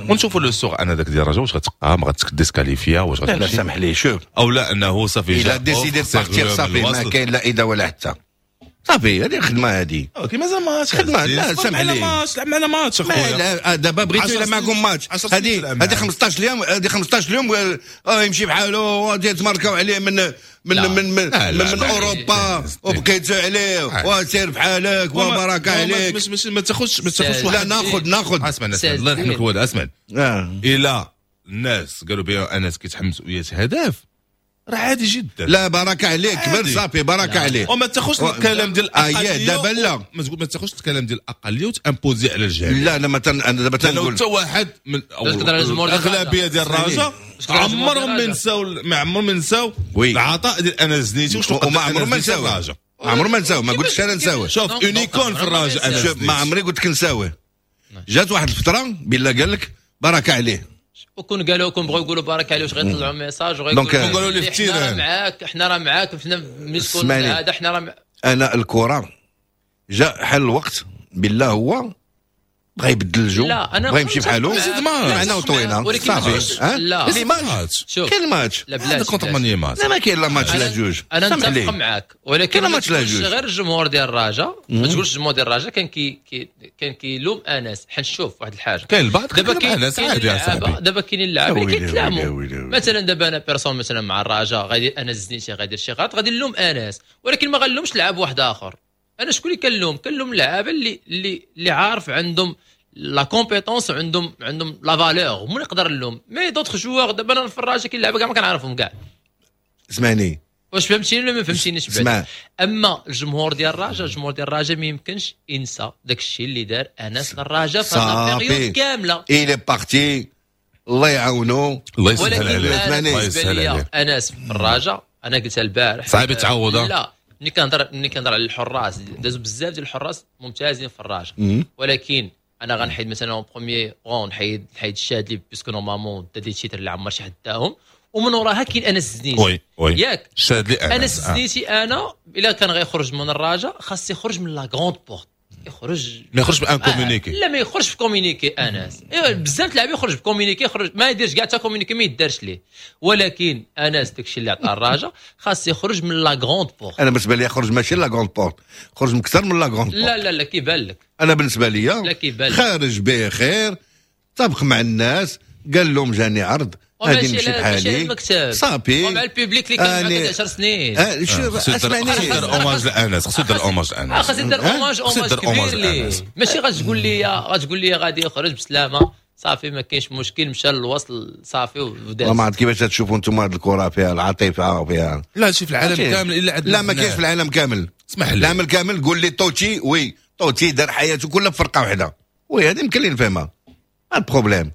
ونشوفوا le sort انا داك ديال الرجاء واش غتبقى ما غتديسكاليفيا واش غتمشي؟ لا سامح لي شوف او لا انه صافي الا décidé partir صافي ما كاين لا اذا ولا حتى صافي. هذه الخدمة هذه OK مازال ماتش خدمة. لا سامح لي ماتش لعب معنا ماتش اخويا. دابا بغيتو الا معكم ماتش هذه هذه خمسطاش اليوم، هذه خمسطاش اليوم يمشي بحالو تماركاو عليه من من من من, من, من اوروبا وبقيتو عليه وسير بحالك وبركة عليك. مش مش ما تاخذش ما تاخذش. لا ناخذ ناخذ اسمع الله يرحمك الوالد. اسمع الى الناس قالوا بها انس كيتحمس وياس هدف راه عادي جدا. لا بركة عليك كبر صافي بركة عليك. وما تاخذش الكلام ديال الاقلية دابا لا ما تاخذش الكلام ديال الاقلية وتامبوزي على الجميع. لا انا مثلا انا دابا تنقول حتى واحد من الاغلبية ديال الرجاء عمرهم ما ينساو ما عمرهم ما ينساو العطاء ديال انس زنيتي. واش وما عمرهم ما نساوه، عمرهم ما نساوه. ما قلتش انا نساوه. شوف une icône في الرجاء انا ما عمري قلت لك نساوه. جات واحد الفترة بالله قال لك بركة عليه وكون قالوا كون بغاو يقولوا بارك عليه واش غيطلعوا message وغيقولوا لي في حنا راه معاك حنا راه معاك حنا ملي تكون هذا حنا راه انا الكره جاء حل الوقت بالله هو بغى يبدل الجو بغى يمشي بحالو معنا وطوينا صافي. لا les matchs كاين ماتش لا contre ماني ماتش لا ما كاين لا ماتش لا جوج. انا متفق معاك ولكن لا ماتش لا جوج غير الجمهور ديال الرجاء ما تقولش الجمهور ديال الرجاء كان كي كان كيلوم انس. حنشوف واحد الحاجة كاين البعض دابا كاين انس عادي يا صاحبي. دابا كاينين اللعابه اللي كيتلاموا مثلا دابا انا personne مثلا مع الرجاء غادي انس زنيتي غادي شي غلط غادي نلوم انس ولكن ما غنلومش لعاب واحد اخر. انا شكون اللي كنلوم؟ كنلوم اللعابه اللي اللي اللي عارف عندهم la compétence عندهم عندهم la valeur هما نقدر نلوم. mais d'autres joueurs دابا انا في الرجاء كاين لعابه كاع ما كنعرفهم كاع. اسمعني واش فهمتيني ولا ما فهمتينيش؟ بعد اما الجمهور ديال الرجاء الجمهور ديال الرجاء ما يمكنش ينسى داك الشيء اللي دار انس الرجاء في هاد ال période كاملة. il est parti الله يعاونو الله يسهل عليه. الله يسهل عليه. انس في الرجاء انا قلتها البارح صعيب يتعوض. لا ملي كنهضر ملي كنهضر على الحراس دازوا بزاف ديال الحراس ممتازين في الرجاء ولكن انا غنحيد مثلا premier rang نحيد نحيد الشادلي parce que normalement دا des titres اللي عمر شي حد داهم ومن وراها كاين انس الزنيتي. oui oui ياك الشادلي انس الزنيتي انا الا كان غيخرج من الرجاء خاص يخرج من la grande porte يخرج ما يخرجش ب un communiqué. لا ما يخرجش ب communiqué انس. ايوا بزاف اللاعبين يخرج ب communiqué يخرج ما يديرش كاع حتى communiqué ما يدارش ليه ولكن انس داكشي اللي عطى الرجاء خاص يخرج من la grande porte. انا بالنسبة لي يخرج ماشي la grande porte خرج من اكثر من la grande porte. لا لا لا كيبان لك. انا بالنسبة لي خارج بخير طابق مع الناس قال لهم جاني عرض غادي نمشي بحالي صافي ومع ال public اللي كان معك عشر سنين. آه شوف اسمعني، خصو يدير hommage لانس، خصو يدير hommage لانس، خصو يدير hommage hommage كبير ليه. ماشي غتقول لي غتقول لي غادي يخرج بسلامه صافي ما كاينش مشكل، مشى للوصل صافي وداز. ما عرفت كيفاش تشوفوا انتم هذه الكره فيها العاطفة وفيها لا شي في العالم كامل الا عندنا. لا ما كاينش في العالم كامل، اسمح لي العالم كامل. قول لي توتي oui توتي دار حياته كلها في فرقه واحدة، oui هذه يمكن لي نفهمها. ال problème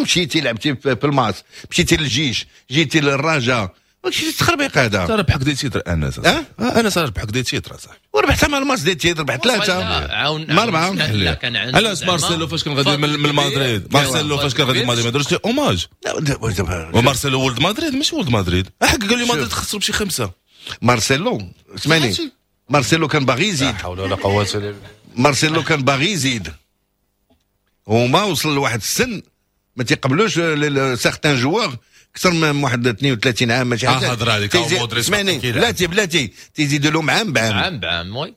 مشيتي لعبتي في الماس، مشيتي للجيش، جيتي للرجاء، ماشي تخربيق هذا. انت ربحك des titres انس، اه انس ربحك des titres صاحبي، وربحتها مع الماس des titres، ربحت ثلاثة ما اربعة. لا كان عنده علاش مارسيلو فاش كان غادي من مدريد، مارسيلو فاش كان غادي من مدريد ما داروش ليه hommage. ومارسيلو ولد مدريد ماشي ولد مدريد، حق قال لي مدريد خسروا بشي خمسة. مارسيلو اسمعني، مارسيلو كان باغي يزيد، لا حول ولا قوة الا بالله. مارسيلو كان باغي يزيد وما وصل لواحد السن ما تيقبلوش certains joueurs اكثر من واحد اثنين وثلاثين عام ماشي حاجة. هضره عليك اسمعني بلاتي بلاتي تيزيدوا لهم عام بعام عام بعام oui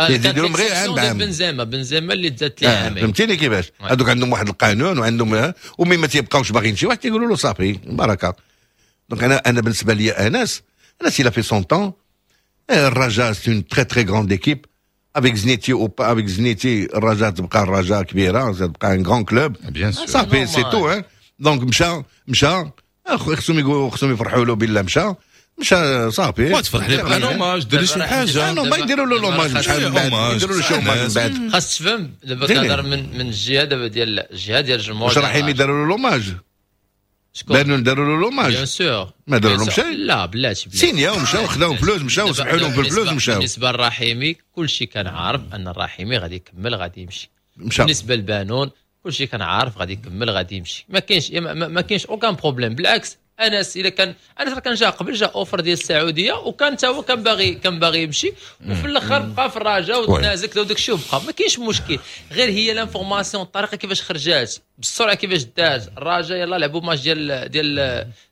تيزيدوا لهم غير عام بعام. بنزيما بنزيما اللي تزاد ليه عامين، فهمتيني كيفاش؟ هذوك عندهم واحد القانون وعندهم و mais ما تيبقاوش باغيين شي واحد تيقولوا له صافي بركة. donc انا انا بالنسبة لي انس انس il a fait son temps. الرجاء c'est une très très grande équipe avec زنيتي ou pas avec زنيتي، الرجاء تبقى الرجاء كبيرة، تبقى un grand club صافي c'est tout. donc مشى مشى خصهم يقولوا خصهم يفرحوا له بالله مشى مشى صافي. ما تفرح ليه بقى hommage، دير شي حاجة. ما يديروا له l'hommage شحال من بعد، يديروا له شي hommage من بعد. خاص تفهم دابا كنهضر من من الجهة دابا ديال الجهة ديال الجمهور. واش رحيمي داروا له l'hommage؟ بانوا داروا له l'hommage bien sûr، ما داروا لهم شيء. لا بلاتي سينيا ومشاو خداو فلوس، مشاو سمحوا لهم بالفلوس مشاو. بالنسبة للرحيمي كلشي كان عارف ان الرحيمي غادي يكمل غادي يمشي. مشى. بالنسبة لبانون كلشي كان عارف غادي يكمل غادي يمشي، ما كاينش ما, ما كاينش aucun problème. بالعكس انس الا كان انس راه كان جا قبل جا offre ديال السعودية وكان حتى هو كان باغي كان باغي يمشي، وفي الاخر بقى في الرجاء وتنازل وداك الشيء وبقى ما كاينش مشكل. غير هي l'information الطريقة كيفاش خرجات بالسرعة كيفاش دارت. الرجاء يلا لعبوا ماتش ديال ديال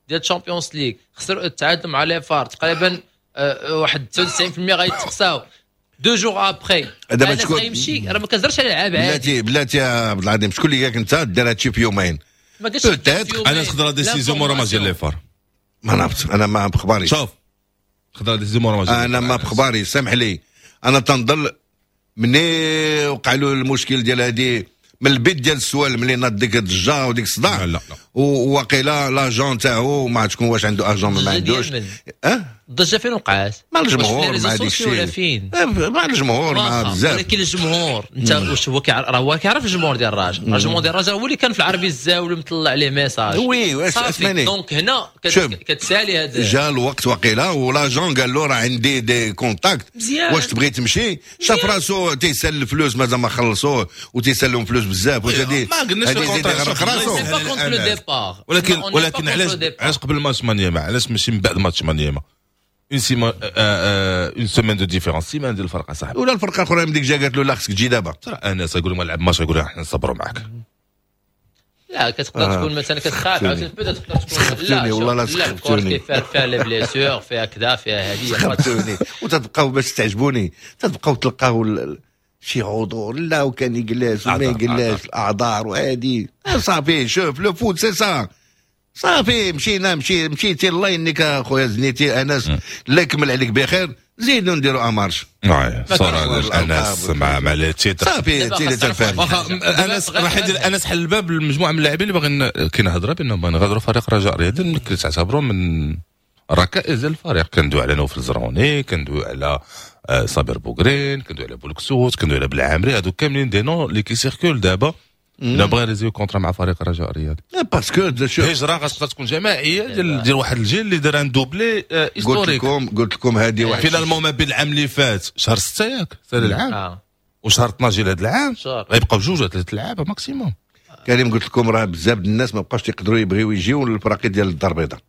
ديال الشامبيونز ليغ، خسروا التعادل مع les FAR تقريبا واحد تسعة وتسعين بالمية غيتقصاو deux jours après. دابا شكون غيمشي؟ راه ما كنهضرش على لعاب عادي. بلاتي بلاتي يا عبد العظيم، شكون اللي قالك انت دار هادشي في يومين؟ ما قالش انا خضرا décision مورا ماتش ديال les FAR. ما نعرفت انا ما بخباري. شوف خضرا décision مورا ماتش انا ما بخباري، سامح لي. انا تنظل مني وقع له المشكل ديال هادي من البيت ديال السؤال ملي ناض ديك الضجة وديك الصداع، لا لا وواقيلا l'agent تاعو ما عرفت شكون واش عنده agent ما عندوش. اه الضجة فين وقعات؟ مع الجمهور مع ديك الشيء ولا فين؟ مع الجمهور مع بزاف. ولكن الجمهور انت واش هو كيعرف؟ راه هو كيعرف الجمهور ديال الرجاء، الجمهور ديال الرجاء هو اللي كان في العربي الزاوي مطلع عليه message. oui واش اسمعني donc هنا كتسالي هذا جا الوقت وقيلا و l'agent قال له راه عندي des contacts واش تبغي تمشي؟ شاف راسو تيسال الفلوس مازال ما خلصوه وتيسالهم فلوس بزاف واش هذه ما قلناش ال contrat ولكن ولكن علاش علاش قبل ماتش مانيما؟ علاش ماشي من بعد ماتش مانيما؟ une semaine une semaine de différence، سيمان ديال الفرقة صاحبي. ولا الفرقة الاخرى من ديك جا قالت له لا خصك تجي دابا. ترى انس يقول ما لعب ماتش يقول احنا نصبروا معاك. لا كتقدر آه. تكون مثلا كتخاف عاوتاني تقدر تكون سخفتوني والله لا سخفتوني فيها فيها les blessures فيها كذا فيها هذه سخفتوني وتتبقاو باش تعجبوني تتبقاو تلقاو شي عذور لا وكان يجلس وما يجلس الاعذار وهادي صافي. شوف le foot c'est ça صافي مشينا مشي مشيتي الله ينيك اخويا زنيتي انس الله يكمل عليك بخير زيدوا نديروا en marche. صورة انس مع مع les titres صافي تي تنفهم. واخا انس راح يدير انس حل الباب لمجموعة من اللاعبين اللي باغيين كاين هضره بانهم باغيين يغادروا فريق رجاء رياضي اللي تعتبروا من ركائز الفريق. كندوي على نوفل زروني، كندوي على صابر بوغرين، كندوي على بولكسوت، كندوي على بالعامري، هادو كاملين des noms اللي كي circulent دابا لا بغا résilier contrat مع فريق الرجاء الرياضي parce que شوف الهجرة غتقدر تكون جماعية ديال ديال واحد الجيل اللي دار un doublé historique. قلت لكم قلت لكم هذه واحد finalement ما بين العام اللي فات شهر ستة ياك سال العام آه. وشهر اثناش ديال هذا العام غيبقاو جوج ولا ثلاث لعابه maximum. كريم قلت لكم راه بزاف الناس ما بقاوش يقدروا يبغيو يجيو للفراقي ديال الدار البيضاء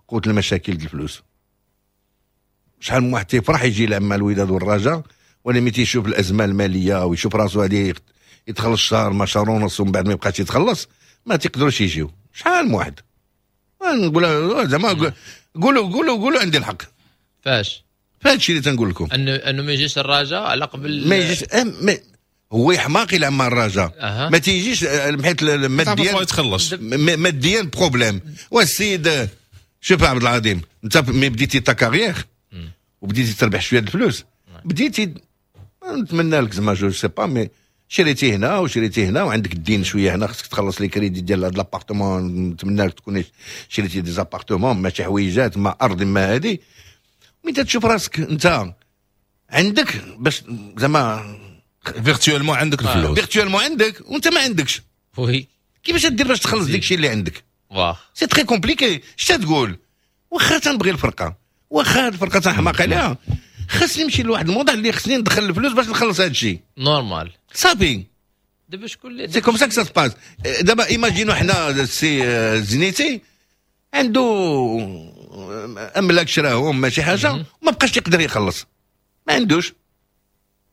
قوت المشاكل ديال الفلوس. شحال من واحد تيفرح يجي يلعب مع الوداد والرجاء ولا ملي تيشوف الازمة المالية ويشوف راسو هذه يتخلص شهر ما شهر ونص ومن بعد ما يبقاش يتخلص ما تيقدروش يجيو. شحال من واحد نقول زعما قولوا قولوا قولوا عندي الحق فاش فهاد الشيء اللي تنقول لكم انه انه ما يجيش الرجاء على قبل ما يجيش ما هو يحماق يلعب مع الرجاء. أه. ما تيجيش حيت ماديا يتخلص ماديا problème. والسيد شوف عبد العظيم، انت ملي بديتي ta carrière وبديتي تربح شوية الفلوس، بديتي نتمنى لك زعما je sais pas mais شريتي هنا وشريتي هنا وعندك الدين شوية هنا، خصك تخلص les crédits ديال هاد l'appartement، نتمنى لك تكون شريتي des appartements ماشي حويجات ما ارض ما هادي. ملي تشوف راسك انت عندك باش زعما virtuellement عندك الفلوس، virtuellement عندك وانت ما عندكش، oui كيفاش دير باش تخلص داك الشيء اللي عندك؟ واه c'est très compliqué. اش تقول؟ واخا تنبغي الفرقة، واخا الفرقة تنحماق عليها، خاصني نمشي لواحد الموضوع اللي خصني ندخل الفلوس باش نخلص هذا الشيء. normal صافي دابا شكون اللي c'est comme ça ça se passe. دابا imaginons حنا السي الزنيتي عنده املاك شراهم ماشي حاجة، وما بقاش يقدر يخلص، ما عندوش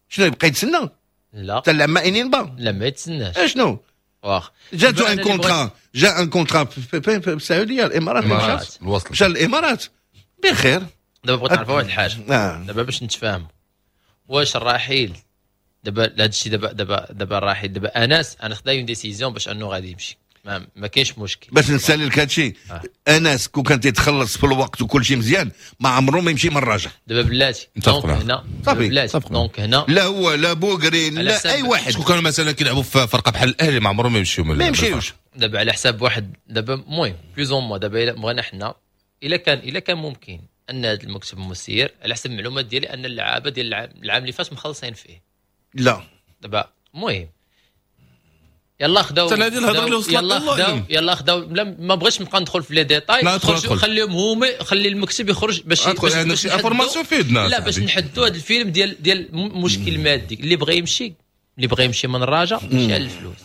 شنو يبقى يتسنى؟ لا حتى العام انين با لا ما يتسناش. اشنو واخ جاتو un contrat، جا un contrat في, في السعودية، الامارات، الامارات الوصل مشى للامارات بخير. دابا بغيت نعرف واحد الحاجة آه. دابا باش نتفاهموا، واش الرحيل دابا هذا الشيء دابا دابا دابا الرحيل دابا انس انا خدا une décision باش انه غادي يمشي، ما, ما كاينش مشكل. باش نسالي لك هادشي آه. انس كون كان تيتخلص في الوقت وكل شيء مزيان ما عمره ما يمشي من الرجاء. دابا بلاتي متفق donc معك. هنا صافي. بلاتي متفق معك. donc هنا لا هو لا بوغرين على لا حساب- اي واحد. شكون كانوا مثلا كيلعبوا في فرقه بحال الاهلي ما عمرهم ما يمشيو من ما يمشيوش. دابا على حساب واحد دابا المهم plus ou moins دابا الا بغينا حنا الا كان الا كان ممكن ان هذا المكتب المسير على حسب المعلومات ديالي ان اللعابه ديال العام, العام اللي فات مخلصين فيه. لا دابا المهم يلا خداو حتى هذه الهضرة اللي وصلت يلا الله خداو أعلم. يلا خداو لا ما بغيتش نبقى ندخل في les détails. لا، ادخل، ادخل. خليهم هما، خلي المكتب يخرج باش ادخل، باش, عندك باش شي نحدوا- information فيدنا لا باش صاحبي. نحدوا هذا الفيلم ديال ديال مشكل مادي. اللي بغى يمشي اللي بغى يمشي من الرجاء ماشي على الفلوس،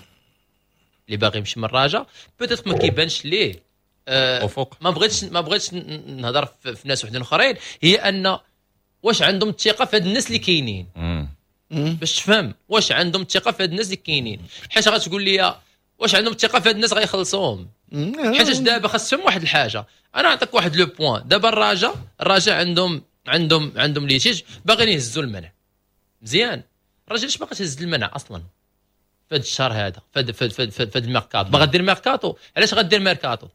اللي باغي يمشي من الرجاء peut-être ما كيبانش ليه آه افق. ما بغيتش ما بغيتش ن- نهضر في, في ناس وحدين اخرين، هي ان واش عندهم الثقة في هاد الناس اللي كاينين، باش تفهم واش عندهم الثقة في هاد الناس اللي كاينين. حيت غتقول لي واش عندهم الثقة في هاد الناس غيخلصوهم؟ حيت دابا خاصهم واحد الحاجة، انا نعطيك واحد le point. دابا الرجاء الرجاء عندهم عندهم عندهم litige باغيين يهزوا المنع مزيان. الرجاء علاش باغا تهز المنع اصلا في هذا الشهر هذا، في هذا في هذا في هذا الميركاتو؟ باغا دير ميركاتو، علاش غدير ميركاتو؟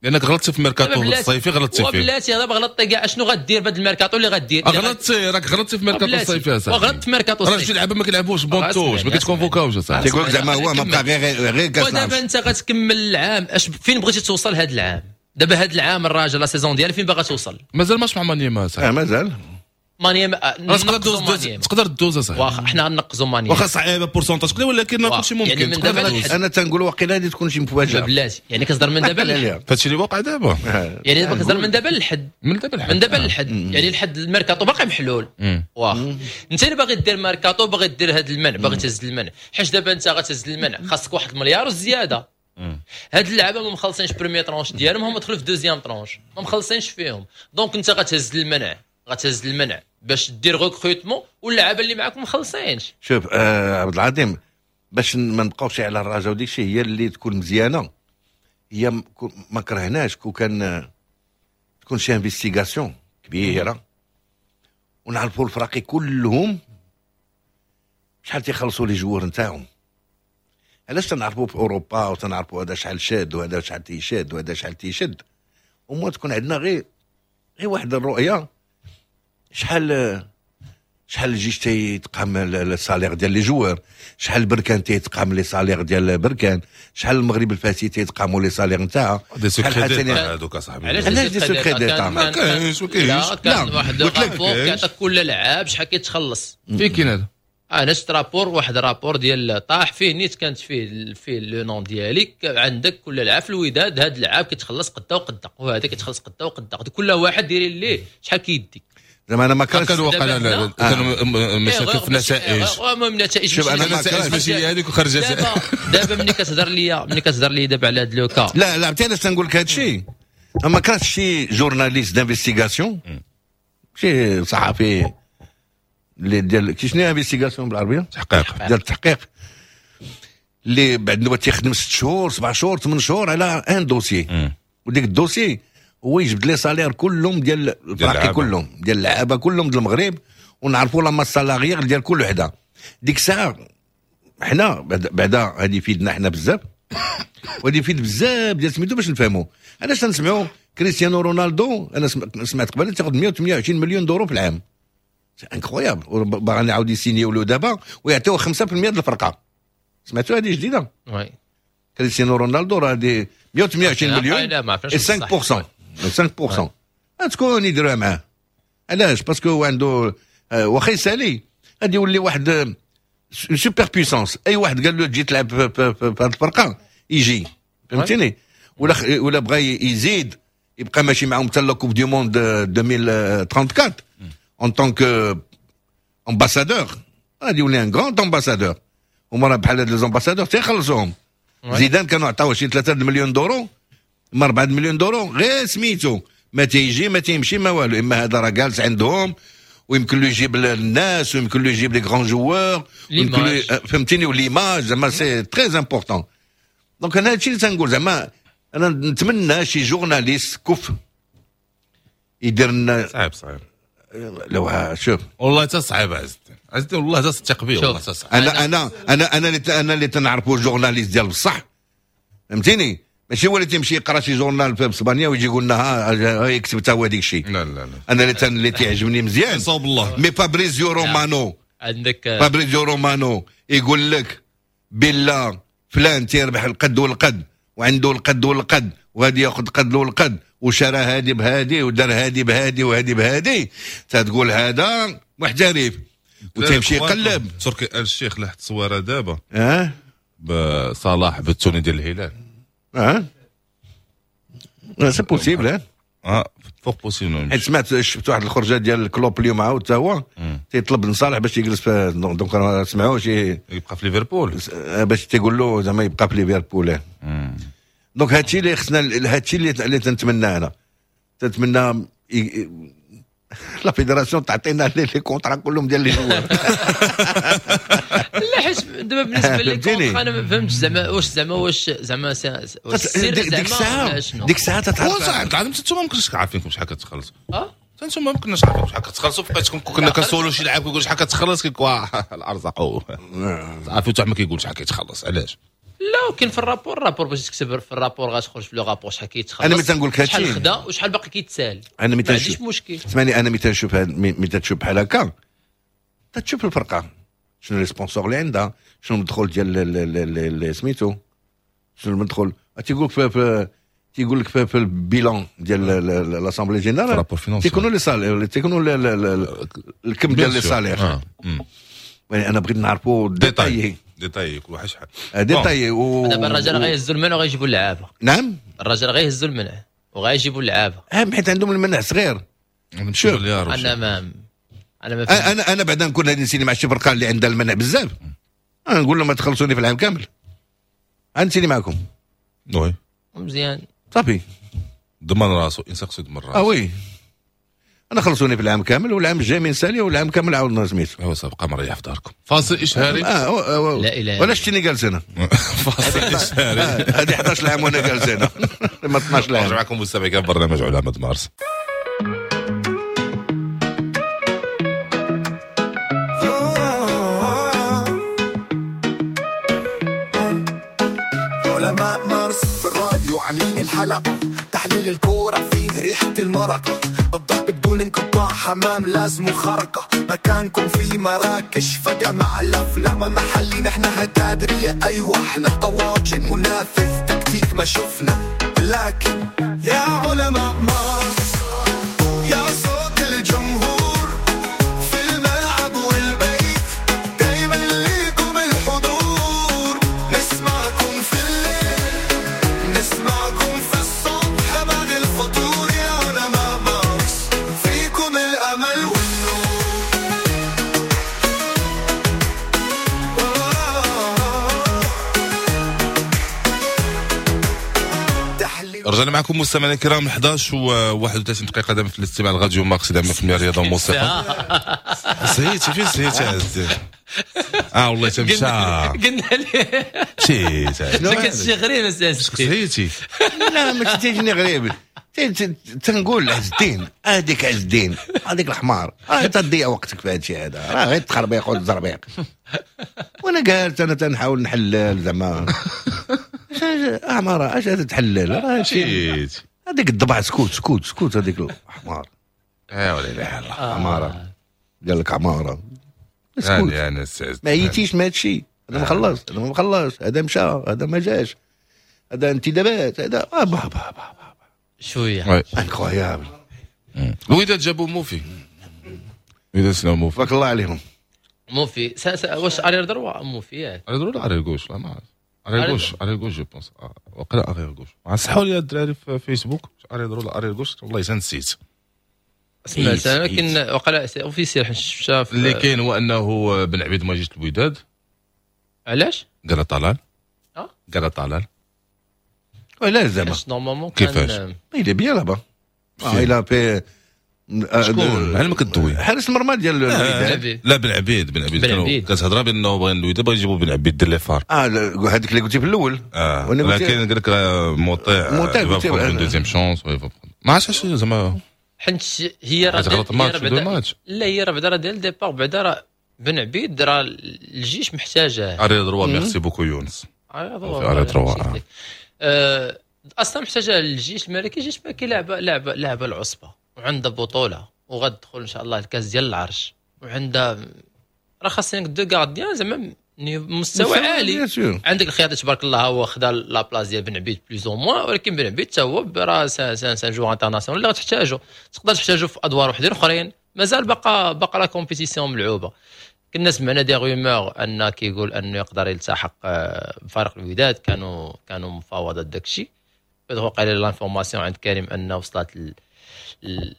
لانك غلطتي في ميركاتو الصيفي، غلطتي فيه. وبلاتي دابا غلطتي كاع، اشنو غدير بهذا الميركاتو اللي غدير؟ غلطتي، راك غلطتي في ميركاتو الصيفي يا صاحبي. وغلطت في ميركاتو راه الصيفي. شي لعابه ما كيلعبوش banc de touche، ما كيتكونفوكاوش اصاحبي. تيقول لك زعما هو ما بقى غير غير كاس ودابا العرش. انت غتكمل العام، اش فين بغيتي توصل هذا العام؟ دابا هذا العام الراجل la saison ديالها فين باغا توصل؟ مازال ماتش مع مانيما اه صاحبي. مازال. مانيما راه تقدر دوز، تقدر دوز اصاحبي. واخا حنا غنقزوا مانيما. واخا صعيبة pourcentage كذا ولكن واخا. كلشي ممكن. يعني من تقدر دابا دوز. لحد- انا تنقول واقيلا غادي تكون شي مفاجاة. بلاتي يعني كتصدر من دابا للحد. هادشي اللي واقع دابا. يعني دابا كتصدر من دابا للحد. من دابا للحد. من دابا للحد، يعني الحد الميركاتو باقي محلول. واخا انت اللي باغي دير ميركاتو، باغي دير هذا المنع، باغي تهز المنع، حيت دابا انت غتهز المنع خاصك واحد المليار وزيادة. هاد اللعابه ما مخلصينش première tranche ديالهم، هما دخلوا في deuxième tranche ما مخلصينش فيهم. donc انت غتهز المنع، غتهز المنع باش دير recrutement واللعابه اللي معاك ما مخلصينش. شوف آه عبد العظيم، باش ما نبقاوش على الرجاء وديك الشيء، هي اللي تكون مزيانه، هي م- كو- ما كرهناش كو كان آه، تكون شي investigation كبيرة ونعرفوا الفراقي كلهم شحال تيخلصوا les joueurs نتاعهم. علاش تنعرفوا في اوروبا وتنعرفوا هذا شحال شاد وهذا شحال تيشاد وهذا شحال تيشد، وما تكون عندنا غير غير واحد الرؤية شحال شحال الجيش تيتقام ال salaire ديال les joueurs، شحال بركان تيتقام les salaires ديال بركان، شحال المغرب الفاسي تيتقاموا les salaires نتاعها. des secrets d'état هذوك اصاحبي. علاش علاش des secrets d'état؟ ما كاينش، ما كاينش. لا كان واحد قلت لك rapport كيعطيك كل لعاب شحال كيتخلص. فين كاين هذا؟ انا شفت rapport، واحد rapport ديال طاح فيه نيت كانت فيه فيه le nom ديالك، عندك كل لعاب في الوداد هذا اللعاب كيتخلص قدا وقدا وهذا كيتخلص قدا وقدا، كل واحد دايرين ليه شحال كيدي. زعما انا ما كانش كان وقع كانوا مشاكل في النتائج. المهم النتائج. شوف انا ما النتائج ماشي هي هذيك وخرجت. دابا دابا ملي كتهضر لي ملي كتهضر لي دابا على هذا le cas. لا لا عرفتي علاش تنقول لك هذا الشيء؟ ما كانش شي journaliste d'investigation، شي صحفي اللي ديال كي شنو investigation بالعربية؟ تحقيق. ديال التحقيق، اللي بعد نوبه تيخدم ست شهور سبع شهور ثمان شهور على un dossier، وديك ال dossier هو يجبد les salaires كلهم ديال الفراقي كلهم ديال اللعابه كلهم ديال المغرب، ونعرفوا la masse salariale ديال كل وحده. ديك الساعة حنا بعدا هذه يفيدنا حنا بزاف، وهذه يفيد بزاف ديال سميتو باش نفهموا علاش تنسمعوا كريستيانو رونالدو. انا سمعت قبل تاخذ مية وثمانية وعشرين مليون دورو في العام، c'est incroyable. باغي يعاود يسينيو له دابا ويعطيوه خمسة بالمية ديال الفرقة. سمعتوا هذه جديدة؟ oui كريستيانو رونالدو راه دي مية وثمانية وعشرين مليون خمسة بالمية خمسة بالمية تكون يديروها معاه. علاش؟ parce que هو عنده واخا يسالي غادي يولي واحد super puissance. اي واحد قال له تجي تلعب في هذه الفرقة يجي، فهمتيني؟ ولا ولا بغى يزيد يبقى ماشي معاهم حتى la Coupe du monde ألفين وأربعة وثلاثين en tant que ambassadeur، غادي يولي un grand ambassadeur. هما راه بحال هاد les ambassadeurs تيخلصوهم. زيدان كانوا عطاوه شي ثلاثة مليون دورو، ما أربعة مليون دورو غير سميتو، ما تيجي ما تيمشي ما والو. اما هذا راه جالس عندهم ويمكن له يجيب الناس ويمكن له يجيب les grands joueurs، ويمكن له فهمتيني، و l'image زعما c'est très important. donc انا هادشي اللي تنقول، زعما انا نتمنى شي journaliste كف يدير لنا. صعيب صعيب لو شوف والله تا صعيب عز الدين، عز الدين والله تا تثق بيه والله تا صعيب. انا انا انا انا اللي انا اللي تنعرفو journaliste ديال بصح، فهمتيني؟ ماشي هو اللي تيمشي يقرا شي journal في اسبانيا ويجي يقول لنا ها يكتب حتى هو ديك الشيء. لا لا لا انا اللي اللي تيعجبني مزيان صوب الله. mais فابريزيو رومانو، عندك فابريزيو رومانو يقول لك بلا فلان تيربح القد والقد وعنده القد والقد وغادي ياخذ قد والقد وشرى هادي بهادي ودار هادي بهادي وهادي بهادي، تتقول هذا محترف وتمشي يقلب. تركي آل الشيخ لاح التصويره دابا اه بصلاح بال tenue ديال الهلال. اه c'est possible، اه fort possible. حيت سمعت شفت واحد الخرجه ديال كلوب اليوم عاود حتى هو تيطلب من صالح باش يجلس في، donc سمعوه شي يبقى في ليفربول باش تيقول له زعما يبقى في ليفربول. donc هادشي اللي خصنا، هادشي اللي اللي تنتمنى انا، تنتمنى la fédération تعطينا les contrats كلهم ديال les joueurs. لا حيت دابا بالنسبة les contrats انا ما فهمتش زعما واش زعما واش زعما ديك الساعة ديك الساعة تتعرف عاد انتم ما كنتش عارفينكم شحال كتخلصوا. اه انتم ما كناش عارفين شحال كتخلصوا، بقيتكم كنا كنسولوا شي لاعب كيقول شحال كتخلص كيقول الارزاق عارفين حتى ما كيقول شحال كيتخلص. علاش؟ لا كاين في ال rapport، ال rapport باش تكتب في ال rapport غتخرج في le rapport شحال كيتخلص. انا ملي تنقول لك هادشي شحال خدا وشحال باقي كيتسال، انا ملي ما عنديش مشكل. اسمعني، انا ملي تنشوف ملي تشوف بحال هكا تتشوف الفرقة شنو les sponsors اللي عندها، شنو المدخول ديال سميتو، شنو المدخول. تيقول لك في تيقول لك في ال bilan ديال l'assemblée générale تيكونوا les salaires، تيكونوا الكم ديال les salaires. يعني انا بغيت نعرفوا détaillé détaillé كل واحد شحال détaillé. و دابا الرجال غيهزوا المنع وغيجيبوا اللعابه. نعم الرجال غيهزوا المنع وغيجيبوا اللعابه. اه حيت عندهم المنع صغير. شوف انا ما انا ما انا انا بعدا نكون غادي نسيني مع شي فرقه اللي عندها المنع بزاف، انا نقول لهم ما تخلصوني في العام كامل، غنسيني معكم. oui مزيان صافي ضمن راسو، انسان خصو يضمن راسو. اه oui انا خلصوني في العام كامل والعام الجاي من سالي والعام كامل عاودنا سميتو. ايوا صافي بقى مريح في داركم. فاصل اشهاري. اه, آه لا اله ولا شتيني جالس انا. فاصل اشهاري. هذه إحدى عشر عام وانا جالس انا ما اثنا عشر عام. نرجع معكم مستمعين في برنامج علماء مارس. علماء مارس في الراديو عاملين الحلقة، تحليل الكورة فيه ريحة المرقة، الضرب بدون انقطاع حمام لازم خرقة، مكانكم في مراكش فجأة مع الأفلام محلي نحن هتادرية. أيوة احنا طواجن منافذ تكتيك ما شفنا، لكن يا علماء مارس يا صوت الجمهور في الملعب والبيت دايما ليكم الحضور، نسمعكم في الليل نسمعكم في الصبح بعد الفطور، يا علماء مارس فيكم الأمل والنور. رجعنا معكم مستمعينا الكرام إحدى عشر وواحد وثلاثين دقيقة دائما في الاستماع لراديو مارس دائما في الرياضة والموسيقى. سهيتي فين سهيتي عز اه والله تمشى قلنا لي مشيت كنت شي غريب اساسي سهيتي. لا ما تيجيني غريب. تنقول عز الدين، هذيك عز الدين، هذيك الحمار، راه تضيع وقتك في هذا الشيء هذا، راه غير تخربيق وتزربيق. وانا قالت انا تنحاول نحلل زعما اعمار اش هذا تحلل، راه شي هذيك الضبع سكوت سكوت سكوت هذيك الحمار. ايوا لا اله الا الله. عمارة قال لك عمارة سكوت، يعني ما عييتيش من هذا الشيء، هذا ما خلص، هذا ما خلص، هذا مشى، هذا ما جاش، هذا انتدابات، هذا با با با با شوية incroyable. الوداد جابوا موفي، الوداد سناو موفي، تبارك الله عليهم. موفي واش arrière droit موفي ياك؟ arrière droit ولا arrière gauche؟ لا ما عرفت. arrière gauche، arrière gauche je pense، وقيلا arrière gauche. صحوا لي الدراري في فيسبوك arrière droit ولا arrière gauche، والله الا نسيت. سمعت انا، ولكن وقيلا c'est officiel حيت شفتها. اللي كاين هو انه بن عبيد ما جيش الوداد. علاش؟ قال طلال. اه قال طلال. علاش زعما؟ normalement كيفاش؟ il est bien là-bas. il a fait شكون؟ على ما كدوي حارس المرمى ديال الوداد. لا بن عبيد، بن عبيد كتهضر بانه بغا الوداد بغا يجيبوا بن عبيد دير les FAR. اه هذيك اللي قلتي في الاول. اه ولكن قال لك موطيع موطيع deuxième chance، ما عرفتش زعما حيت هي راه غلط ماتش deux matchs. لا هي راه بعدا راه ديال départ، بعدا راه بن عبيد راه الجيش محتاجه. arrière droit merci beaucoup يونس. arrière droit اصلا محتاجه الجيش الملكي. الجيش الملكي لعبه لعبه لعبه العصبة، وعندها بطوله وغتدخل ان شاء الله الكاس ديال العرش، وعندها راه خاصين deux gardiens زعما مستوى عالي. عندك الخياطي تبارك الله هو خدا la place ديال بن عبيد plus ou moins، ولكن بن عبيد حتى هو راه c'est un joueur international اللي غتحتاجو، تقدر تحتاجو في ادوار وحدين اخرين. مازال بقى بقى la compétition ملعوبه. كنا سمعنا des rumeurs ان كيقول انه يقدر يلتحق بفريق الوداد، كانوا كانوا مفاوضات داكشي. وقع l'information عند كريم انه وصلت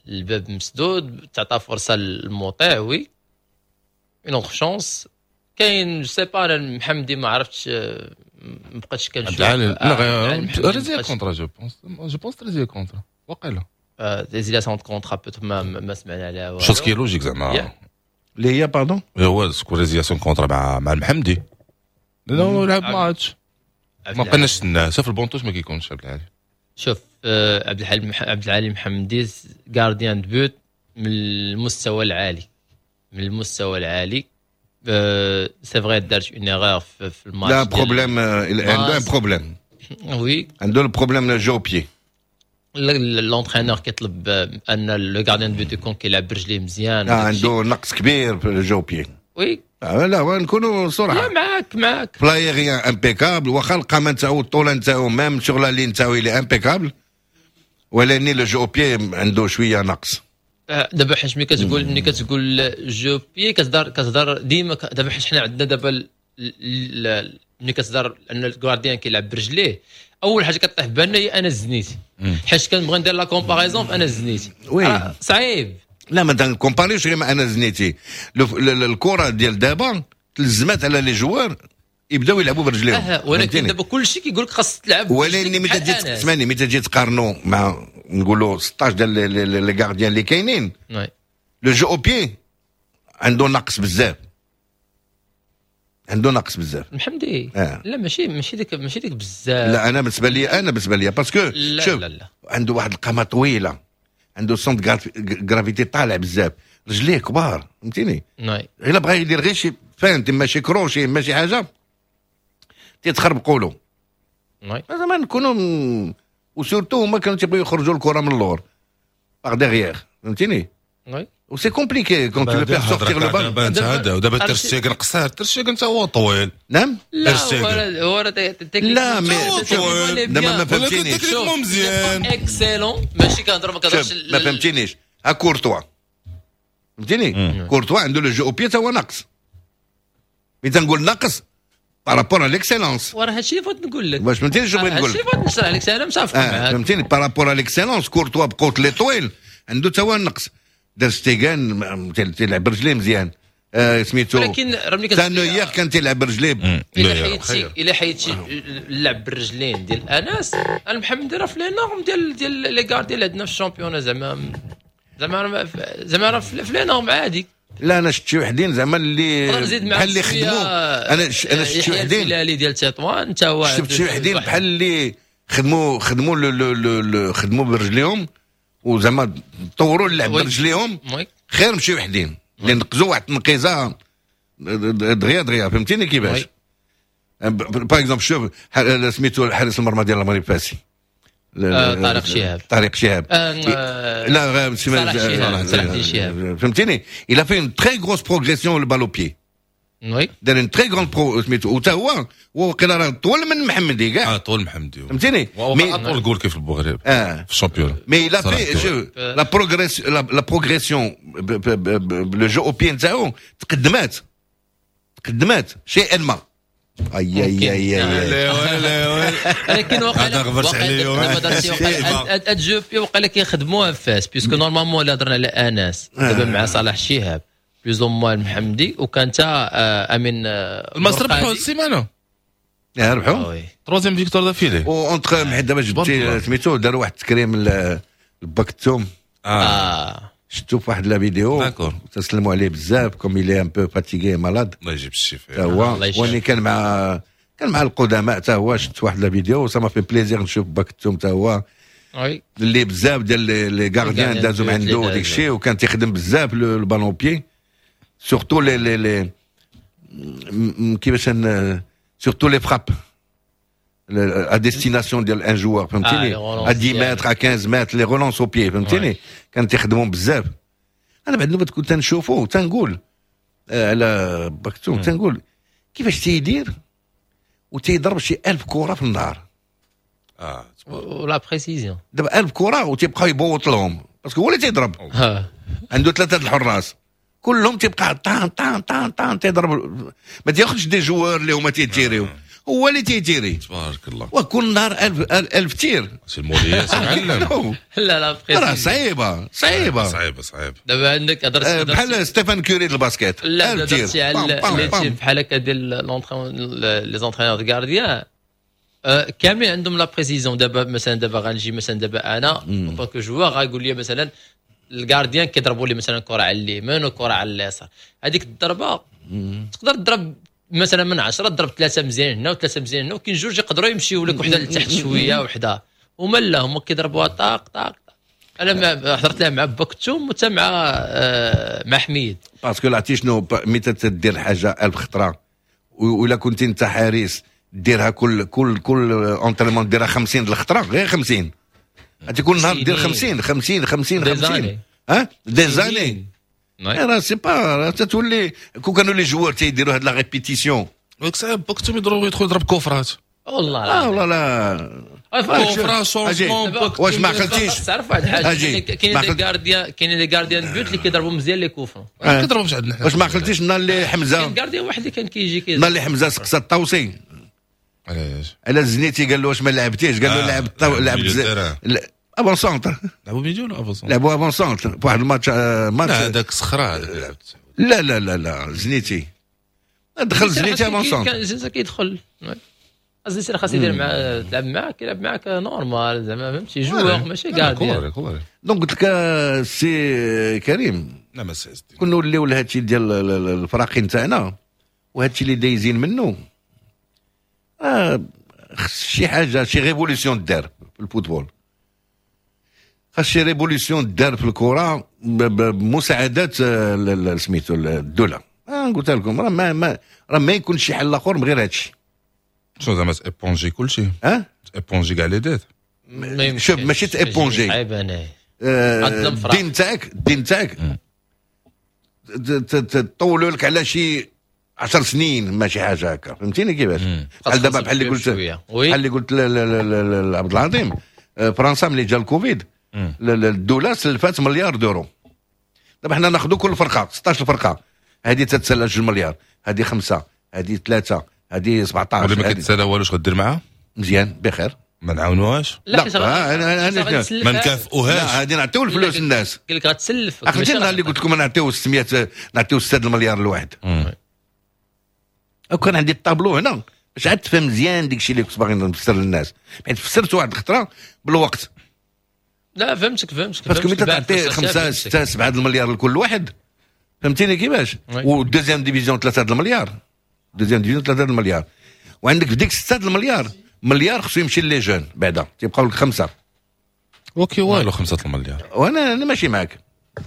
الباب مسدود، تعطى فرصة للمطيع oui une autre chance. كاين je sais pas محمدي ما عرفتش، ما بقيتش كنشوف. لا résilier contrat je pense، je pense résilier contrat وقيلا résiliation contrat peut-être ما, ما سمعنا عليها والو. chose qui est logique زعما اللي هي pardon هو سكو résiliation contrat مع مع المحمدي لانه لعب ماتش ما بقيناش نستناه في ال banc de touche ما كيكونش عبد العالي. شوف عبد الحليم عبد العالي محمدي gardien de but من المستوى العالي، من المستوى العالي. c'est vrai دارت une erreur في الماتش. لا problème، عنده un problème. oui عنده ال problème jeu au pied. l'entraîneur كيطلب ان le gardien de but يكون كيلعب برجليه مزيان. عنده نقص كبير في ال jeu au pied. oui لا نكونوا صراحة. لا معاك معاك. ف l'aérien impeccable، واخا القامة نتاعو الطولة نتاعو même sur la ligne نتاعو il est impeccable، ولكن le jeu au pied عنده شوية نقص. دابا حيت ملي كتقول ملي كتقول jeu au pied كتهضر كتهضر ديما. دابا حيت حنا عندنا دابا ملي كتهضر ان ال gardien كيلعب برجليه، اول حاجة كطيح في بالنا هي انا الزنيتي، حيت كنبغي ندير la comparaison في انا الزنيتي. oui صعيب. لا ما تنكومباريوش غير مع انا زنيتي. الكره ديال دابا تلزمات على les joueurs يبداو يلعبوا برجليهم. أه ولكن دابا كلشي كيقول لك خاص تلعب. ولكن ملي تجي تسمعني، ملي تجي تقارنوا مع نقولوا ستة عشر ديال les gardiens اللي كاينين، le jeu au pied عنده نقص بزاف، عنده نقص بزاف محمدي. آه. لا ماشي ماشي ديك ماشي ديك بزاف. لا انا بالنسبة لي انا بالنسبة لي parce que شوف لا لا. عنده واحد القامة طويلة، عنده centre gravité طالع بزاف، رجليه كبار فهمتيني. الا بغى يدير غير شي feinte ماشي كروشي ماشي حاجة تيتخربقوا له. زعما نكونوا و surtout هما كانوا تيبغيو يخرجوا الكره من اللور par derrière فهمتيني. و c'est compliqué quand tu veux faire sortir le ballon. دابا انت هذا ودابا ترشتيغن قصير، ترشتيغن حتى هو طويل. نعم لا هو لا mais دابا ما فهمتينيش مزيان excellent ماشي كنهضر ما كنهضرش ما فهمتينيش. ها كورتوا فهمتيني، كورتوا عنده le jeu au pied تا هو ناقص. ملي تنقول ناقص par rapport à l'excellence، وراه هادشي اللي بغيت نقول لك. واش فهمتيني شنو بغيت نقول لك؟ هادشي اللي بغيت نشرح لك، انا متفق معاك فهمتيني. par rapport à l'excellence كورتوا بقوت لي طويل عنده تا هو نقص. دار ستيغان تيلعب برجليه مزيان، آه سميتو، ولكن راه ملي كان نوير كان تيلعب برجليه. الا حيدتي الا حيدتي اللعب بالرجلين ديال انس المحمدي راه في les normes ديال ديال les gardiens اللي عندنا في ال championnat، زعما زعما زعما راه في les normes عادي. لا انا شفت شي وحدين زعما اللي بحال اللي خدموا. انا انا شفت شي وحدين الهلالي ديال تطوان تا هو شفت شي وحدين بحال اللي خدموا خدموا le le خدموا برجليهم وزعما طوروا اللعب برجليهم خير مشي وحدين اللي نقزوا واحد التنقيزه دغيا دغيا فهمتيني كيفاش. par exemple شوف سميتو حارس المرمى ديال المغرب فاسي طارق شهاب طارق شهاب لا صلاح شهاب فهمتيني il a fait une très grosse progression le balle au pied. oui دار une très grande pro سميتو وتا هو وقيلا راه طول من محمدي كاع اه طول محمدي فهمتيني mais اطول جول كيف المغرب اه في ال championnat mais il a fait je la progress la progression le jeu au pied نتاعو تقدمات تقدمات شيئا ما. اي اي اي اي ولكن وقع هاد jeu au pied وقع كيخدموها في فاس puisque normalement اللي هضرنا على انس دابا مع صلاح شهاب plus ou moins المحمدي وكان تا امين الماس ربحوا السيمانة ربحوا troisième victoire d'affilée و entre حيت دابا جبتي سميتو داروا واحد التكريم لباكتوم اه شفتو في واحد la vidéo تسلموا عليه بزاف comme il est un peu fatigué malade الله يجيب الشفاء هو واني كان مع كان مع القدماء حتى هو شفت واحد la vidéo ça m'a fait plaisir نشوف باكتوم حتى هو اللي بزاف ديال les gardiens دازو من عنده ديك الشيء وكان تيخدم بزاف ال ballon au pied surtout les les les كيفاش surtout les frappes à destination ديال un joueur فهمتيني à dix mètres à quinze mètres les relances au pied فهمتيني كان تيخدمهم بزاف. انا بعد نوبه كنت تنشوفو تنقول على باكتوم تنقول كيفاش تيدير وتيضرب شي ألف كره في النهار اه و la précision دابا ألف كره وتيبقى يبوط لهم parce que هو اللي تيضرب عنده ثلاثة الحراس كلهم تيبقى طان طان طان طان تيضرب ما تياخذش des joueurs اللي هما تيتيريو هو اللي تيتيري تبارك الله وكل نهار ألف ألف tir سي الموليات معلم لا لا راه صعيبة صعيبة صعيبة صعيبة دابا عندك هضرت بحال ستيفان كوري ديال ال basket لا هضرتي على les types بحال هكا ديال les entraîneurs de gardiens كاملين عندهم la précision. دابا مثلا دابا غنجي مثلا دابا انا en tant que joueur غايقول لي مثلا ال gardien كيضربوا لي مثلا كره على اليمين وكره على اليسار هذيك الضربة تقدر تضرب مثلا من عشرة تضرب ثلاثة مزيان هنا وثلاثة مزيان هنا وكاين جوج يقدروا يمشيو لك وحده لتحت شوية وحده هما لا هما كيضربوها طاق طاق. انا ما حضرت لها مع بوكتوم وتا مع آه مع حميد parce que عرفتي شنو ملي تدير حاجة ألف خطره ولا كنت انت حارس ديرها كل كل كل entraînement ديرها خمسين الخطرة غير خمسين عرفتي كل نهار دير خمسين خمسين خمسين خمسين ها des années راه c'est pas تتولي كون كانوا les joueurs تيديروا هاد la répétition ديك الساعة بوكتوم يضرب يدخل يضرب كوفرات والله اه والله لا coup franc changement واش ما عقلتيش تعرف واحد الحاجة كاينين des gardiens كاينين des gardiens de but اللي كيضربوا مزيان les coups francs ما كيضربوش عندنا واش ما عقلتيش النهار اللي حمزة كاين gardien واحد اللي كان كيجي النهار اللي حمزة سقسى الطوسي علاش على الزنيتي قال له واش ما لعبتيش قال له لعبت لعبت avant-centre لعبوا milieu ولا avant-centre لعبوا avant-centre في واحد الماتش ماتش هذاك صخرة هذاك اللي لعبت لا لا لا لا زنيتي دخل زنيتي avant-centre كان زنيتي كيدخل الزنيتي خاص يدير مع تلعب معاك يلعب معاك normal زعما فهمتي joueur ماشي gardien donc قلت لك سي كريم نعم سي كنا نوليو لهادشي ديال الفراقي نتاعنا وهادشي اللي دايزين منه آه خص شي حاجة شي révolution دار في ال football خاص شي révolution دار في الكره بمساعدات سميتو الدولة آه قلت لكم راه ما ما راه ما يكون شي حل اخر من غير هادشي شنو زعما éponger كلشي اه éponger كاع les dettes شوف ماشي ت éponger عيب انا الدين تاعك الدين تاعك تطولوا لك على شي عشر سنين ماشي حاجة هكا فهمتيني كيفاش بحال دابا بحال اللي قلت بحال اللي قلت لعبد العظيم فرنسا ملي جا الكوفيد الدولة سلفات مليار d'euros دابا حنا ناخذوا كل فرقه ستة عشر فرقه هذه تتسلى جوج مليار هذه خمسة هذه ثلاثة هذه سبعطاش ولا ما كتسالى والو اش غدير معاها مزيان بخير ما نعاونوهاش لا لا انا انا ما نكافئوهاش لا غادي نعطيو الفلوس للناس قال لك غتسلف عقلتي النهار اللي قلت لكم نعطيو ستمية نعطيو ستة المليار لواحد وكان عندي الطابلو هنا باش عاد تفهم مزيان ديك الشيء اللي كنت باغي نفسر للناس حيت فسرت واحد الخطرة بالوقت لا فهمتك فهمتك parce que ملي تعطي خمسة ستة سبعة المليار لكل واحد فهمتيني كيفاش وال deuxième division ثلاثة المليار deuxième division ثلاثة المليار وعندك في ديك ستة المليار مليار خصو يمشي les jeunes بعدا، تيبقاو لك خمسة. وكي والو خمسة المليار. وانا انا ماشي معاك،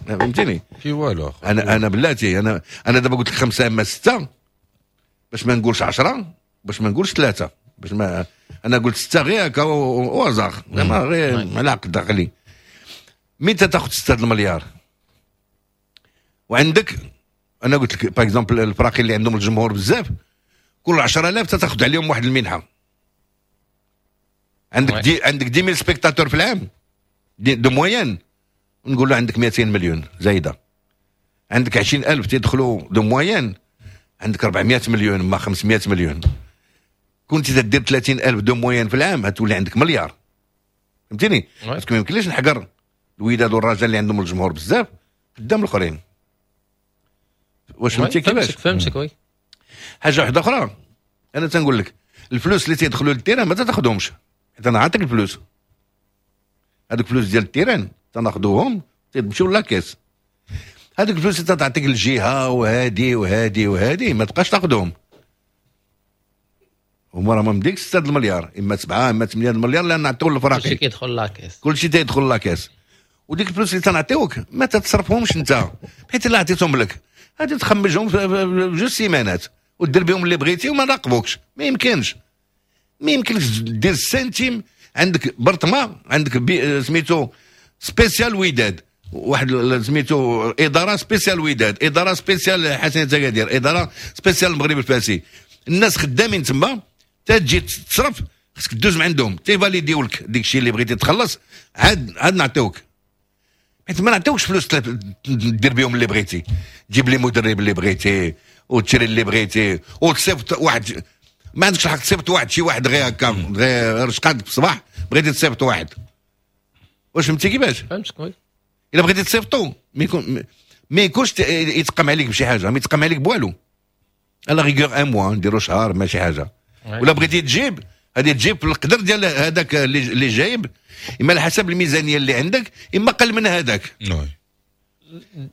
فهمتيني؟ كي والو. انا انا بلاتي، انا انا دابا قلت لك خمسة اما ستة، باش ما نقولش عشرة، باش ما نقولش ثلاثه، باش ما انا قلت ستة غير هكا au hasard، زعما غير على عقد عقلي. مين تاخذ ستة المليار وعندك، انا قلت لك par exemple الفراقي اللي عندهم الجمهور بزاف، كل عشرة آلاف تاخذ عليهم واحد المنحه. عندك dix عندك dix mille spectateurs في العام de, de moyenne، نقول له عندك مئتين مليون زايده. عندك عشرين ألف تيدخلوا de moyenne، عندك أربعمية مليون ما خمسمية مليون. كنت تدير ثلاثين ألف de moyenne في العام، هتولي عندك مليار، فهمتيني؟ parce que ما يمكنليش نحقر الوداد والرجاء اللي عندهم الجمهور بزاف قدام الاخرين. واش فهمتي كيفاش؟ فهمتك oui. حاجة واحدة اخرى، انا تنقول لك الفلوس اللي تيدخلوا لل terrain ما تاخذهمش، حيت انا عاطيك الفلوس، هذوك الفلوس ديال ال terrain تناخذوهم تمشيو la caisse. هذوك الفلوس اللي تعطيك الجهة وهادي وهادي وهادي ما تبقاش تاخذهم. هما راه من ديك ستة المليار اما سبعة اما ثمانية المليار اللي نعطيو للفراقي، كلشي كيدخل la caisse، كلشي تيدخل la caisse. وديك الفلوس اللي تنعطيوك ما تتصرفهمش انت، حيت الا عطيتهم لك غادي تخمجهم في جوج سيمانات ودير بهم اللي بغيتي وما نراقبوكش. ما يمكنش، ما يمكنش دير سنتيم. عندك برطمه، عندك بي سميتو spécial وداد، واحد سميتو ادارة spécial وداد، ادارة spécial حسنيه اكادير، ادارة spécial المغرب الفاسي. الناس خدامين تما، تجي تصرف خصك دوز من عندهم تيفاليديو لك ديك الشيء اللي بغيتي تخلص، عاد عاد نعطيوك. حيت ما نعطيوكش فلوس دير بهم اللي بغيتي، تجيب لي مدرب اللي بغيتي وتشري اللي بغيتي وتصيفط واحد. ما عندكش الحق تصيفط واحد شي واحد غير هكا، غير رشقات في الصباح بغيتي تصيفط واحد. واش فهمتي كيفاش؟ فهمتك oui. الا بغيتي تصيفطو ما يكون ما يكونش يتقام عليك بشي حاجه، ما يتقام عليك بوالو. à la rigueur un mois نديرو شهر ماشي حاجه. ولا بغيتي تجيب غادي تجيب في القدر ديال هذاك اللي جايب، اما على حسب الميزانية اللي عندك اما قل من هذاك.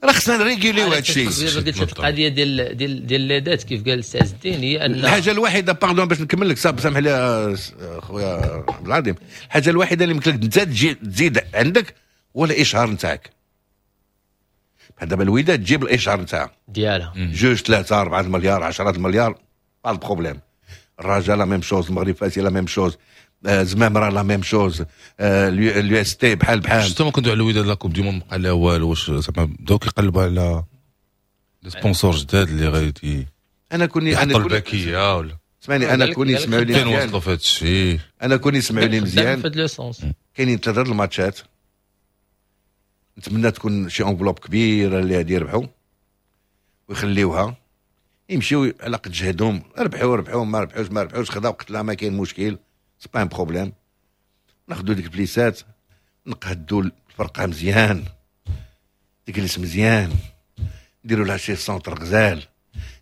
راه خصنا نريغيليو هذا الشيء. قلت القضية ديال ديال ديال les dettes كيف قال السي عز الدين هي ان الحاجة الوحيده، pardon باش نكمل لك، سامح لي خويا عبد العظيم، الحاجة الوحيدة اللي يمكن لك انت تجي تزيد عندك هو الاشهار نتاعك. بحال دابا الوداد تجيب الاشهار نتاعها ديالها جوج ثلاثة اربعة المليار عشرة المليار، pas de problème. الرجاء la même chose، المغرب فاسي la même chose، زمامرة la même chose، l'UST بحال بحال. justement كنتو على الوداد، la Coupe du Monde بقى لها والو، واش زعما بداو كيقلبوا على les sponsors جداد اللي غادي انا كوني انا كوني الباكيه ولا اسمعني، انا كوني يسمعوا لي فين وصلوا في هذا الشيء؟ انا كوني يسمعوا لي مزيان، كاينين ثلاثة الماتشات، نتمنى تكون شي enveloppe كبيرة اللي غادي يربحوا ويخليوها يمشيو على قد جهدهم، ربحوا ربحوا، ما ربحوش ما ربحوش، خذا وقتلا ما كاين مشكل، c'est pas un problème. ناخذوا ديك البليسات نقهدوا الفرقة مزيان، تجلس مزيان، نديروا لها شي centre غزال،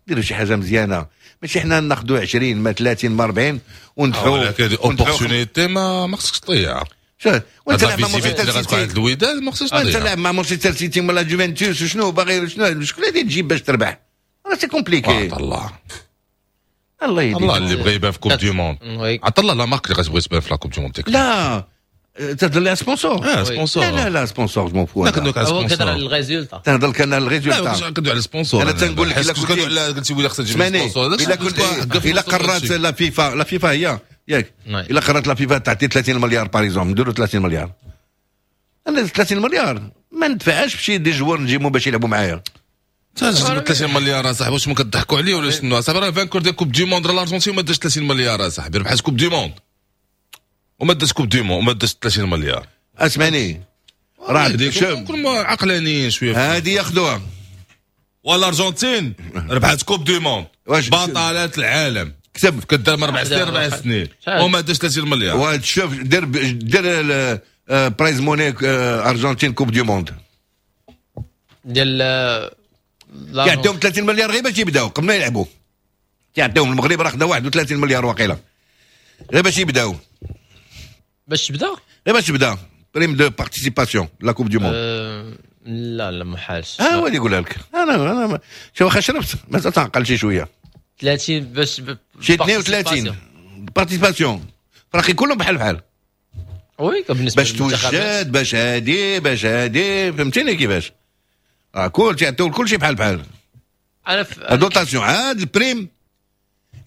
نديروا شي حاجة مزيانه، ماشي حنا ناخذوا عشرين ما ثلاثين ما أربعين وندفعوا. ولكن opportunité ما ما خصكش تضيع. شوف وانت لاعب مع مانشستر سيتي، الوداد ما خصكش تضيع. انت لاعب مع مانشستر سيتي ولا جوفنتوس، شنو باغي شنو شكون اللي تجيب باش تربح؟ راه c'est compliqué. الله الله يهديك. الله اللي بغى يبان في Coupe du Monde، عطا الله la marque اللي غتبغي تبان في la Coupe du Monde. لا تهضر لي sponsor. اه sponsor. لا لا لا sponsor je m'en fous. لا كندوي على هو sponsor. كيهضر على ال résultat. تهضر لك انا ال résultat. لا كندوي على sponsor. انا تنقول لك الا كنت على قلتي ولا خصك تجيب sponsor. الا كنت الا قررت la FIFA، la FIFA هي ياك، الا قررت la FIFA تعطي ثلاثين مليار par exemple، نديرو ثلاثين مليار. انا ثلاثين مليار ما ندفعهاش بشي des joueurs نجيبهم باش يلعبوا معايا. تجيب ثلاثين مليار اصاحبي، واش ما كضحكوا عليه ولا شنو اصاحبي؟ راه vainqueur ديال Coupe du Monde الارجنتين ما داش ثلاثين مليار اصاحبي، ربحات Coupe du Monde وما داش Coupe du Monde وما داش ثلاثين مليار. اسمعني راه شوف كل عقلانيين شوية هذه ياخذوها. والارجنتين ربحات Coupe du Monde بطلات العالم، كتب كدار اربع سنين اربع سنين وما داش ثلاثين مليار. وتشوف دير دير prize money ارجنتين Coupe du Monde ديال يعطيهم ثلاثين مليار غير باش يبداو قبل ما يلعبوا. يعطيهم المغرب راه خدا واحد وثلاثين مليار واقيلا غير باش يبداو. باش تبدا؟ غير باش تبدا prime de participation la Coupe du Monde. لا لا ما حالش. ها هو اللي يقولها لك. انا انا شوف واخا شربت مازال تنعقل شي شوية. ثلاثين باش شي اثنين وثلاثين participation فراقي كلهم بحال بحال. oui بالنسبة باش توجد، باش هادي، باش هادي، فهمتيني كيفاش؟ راه كل تيعطيو كلشي بحال بحال. انا في dotation عاد ال prime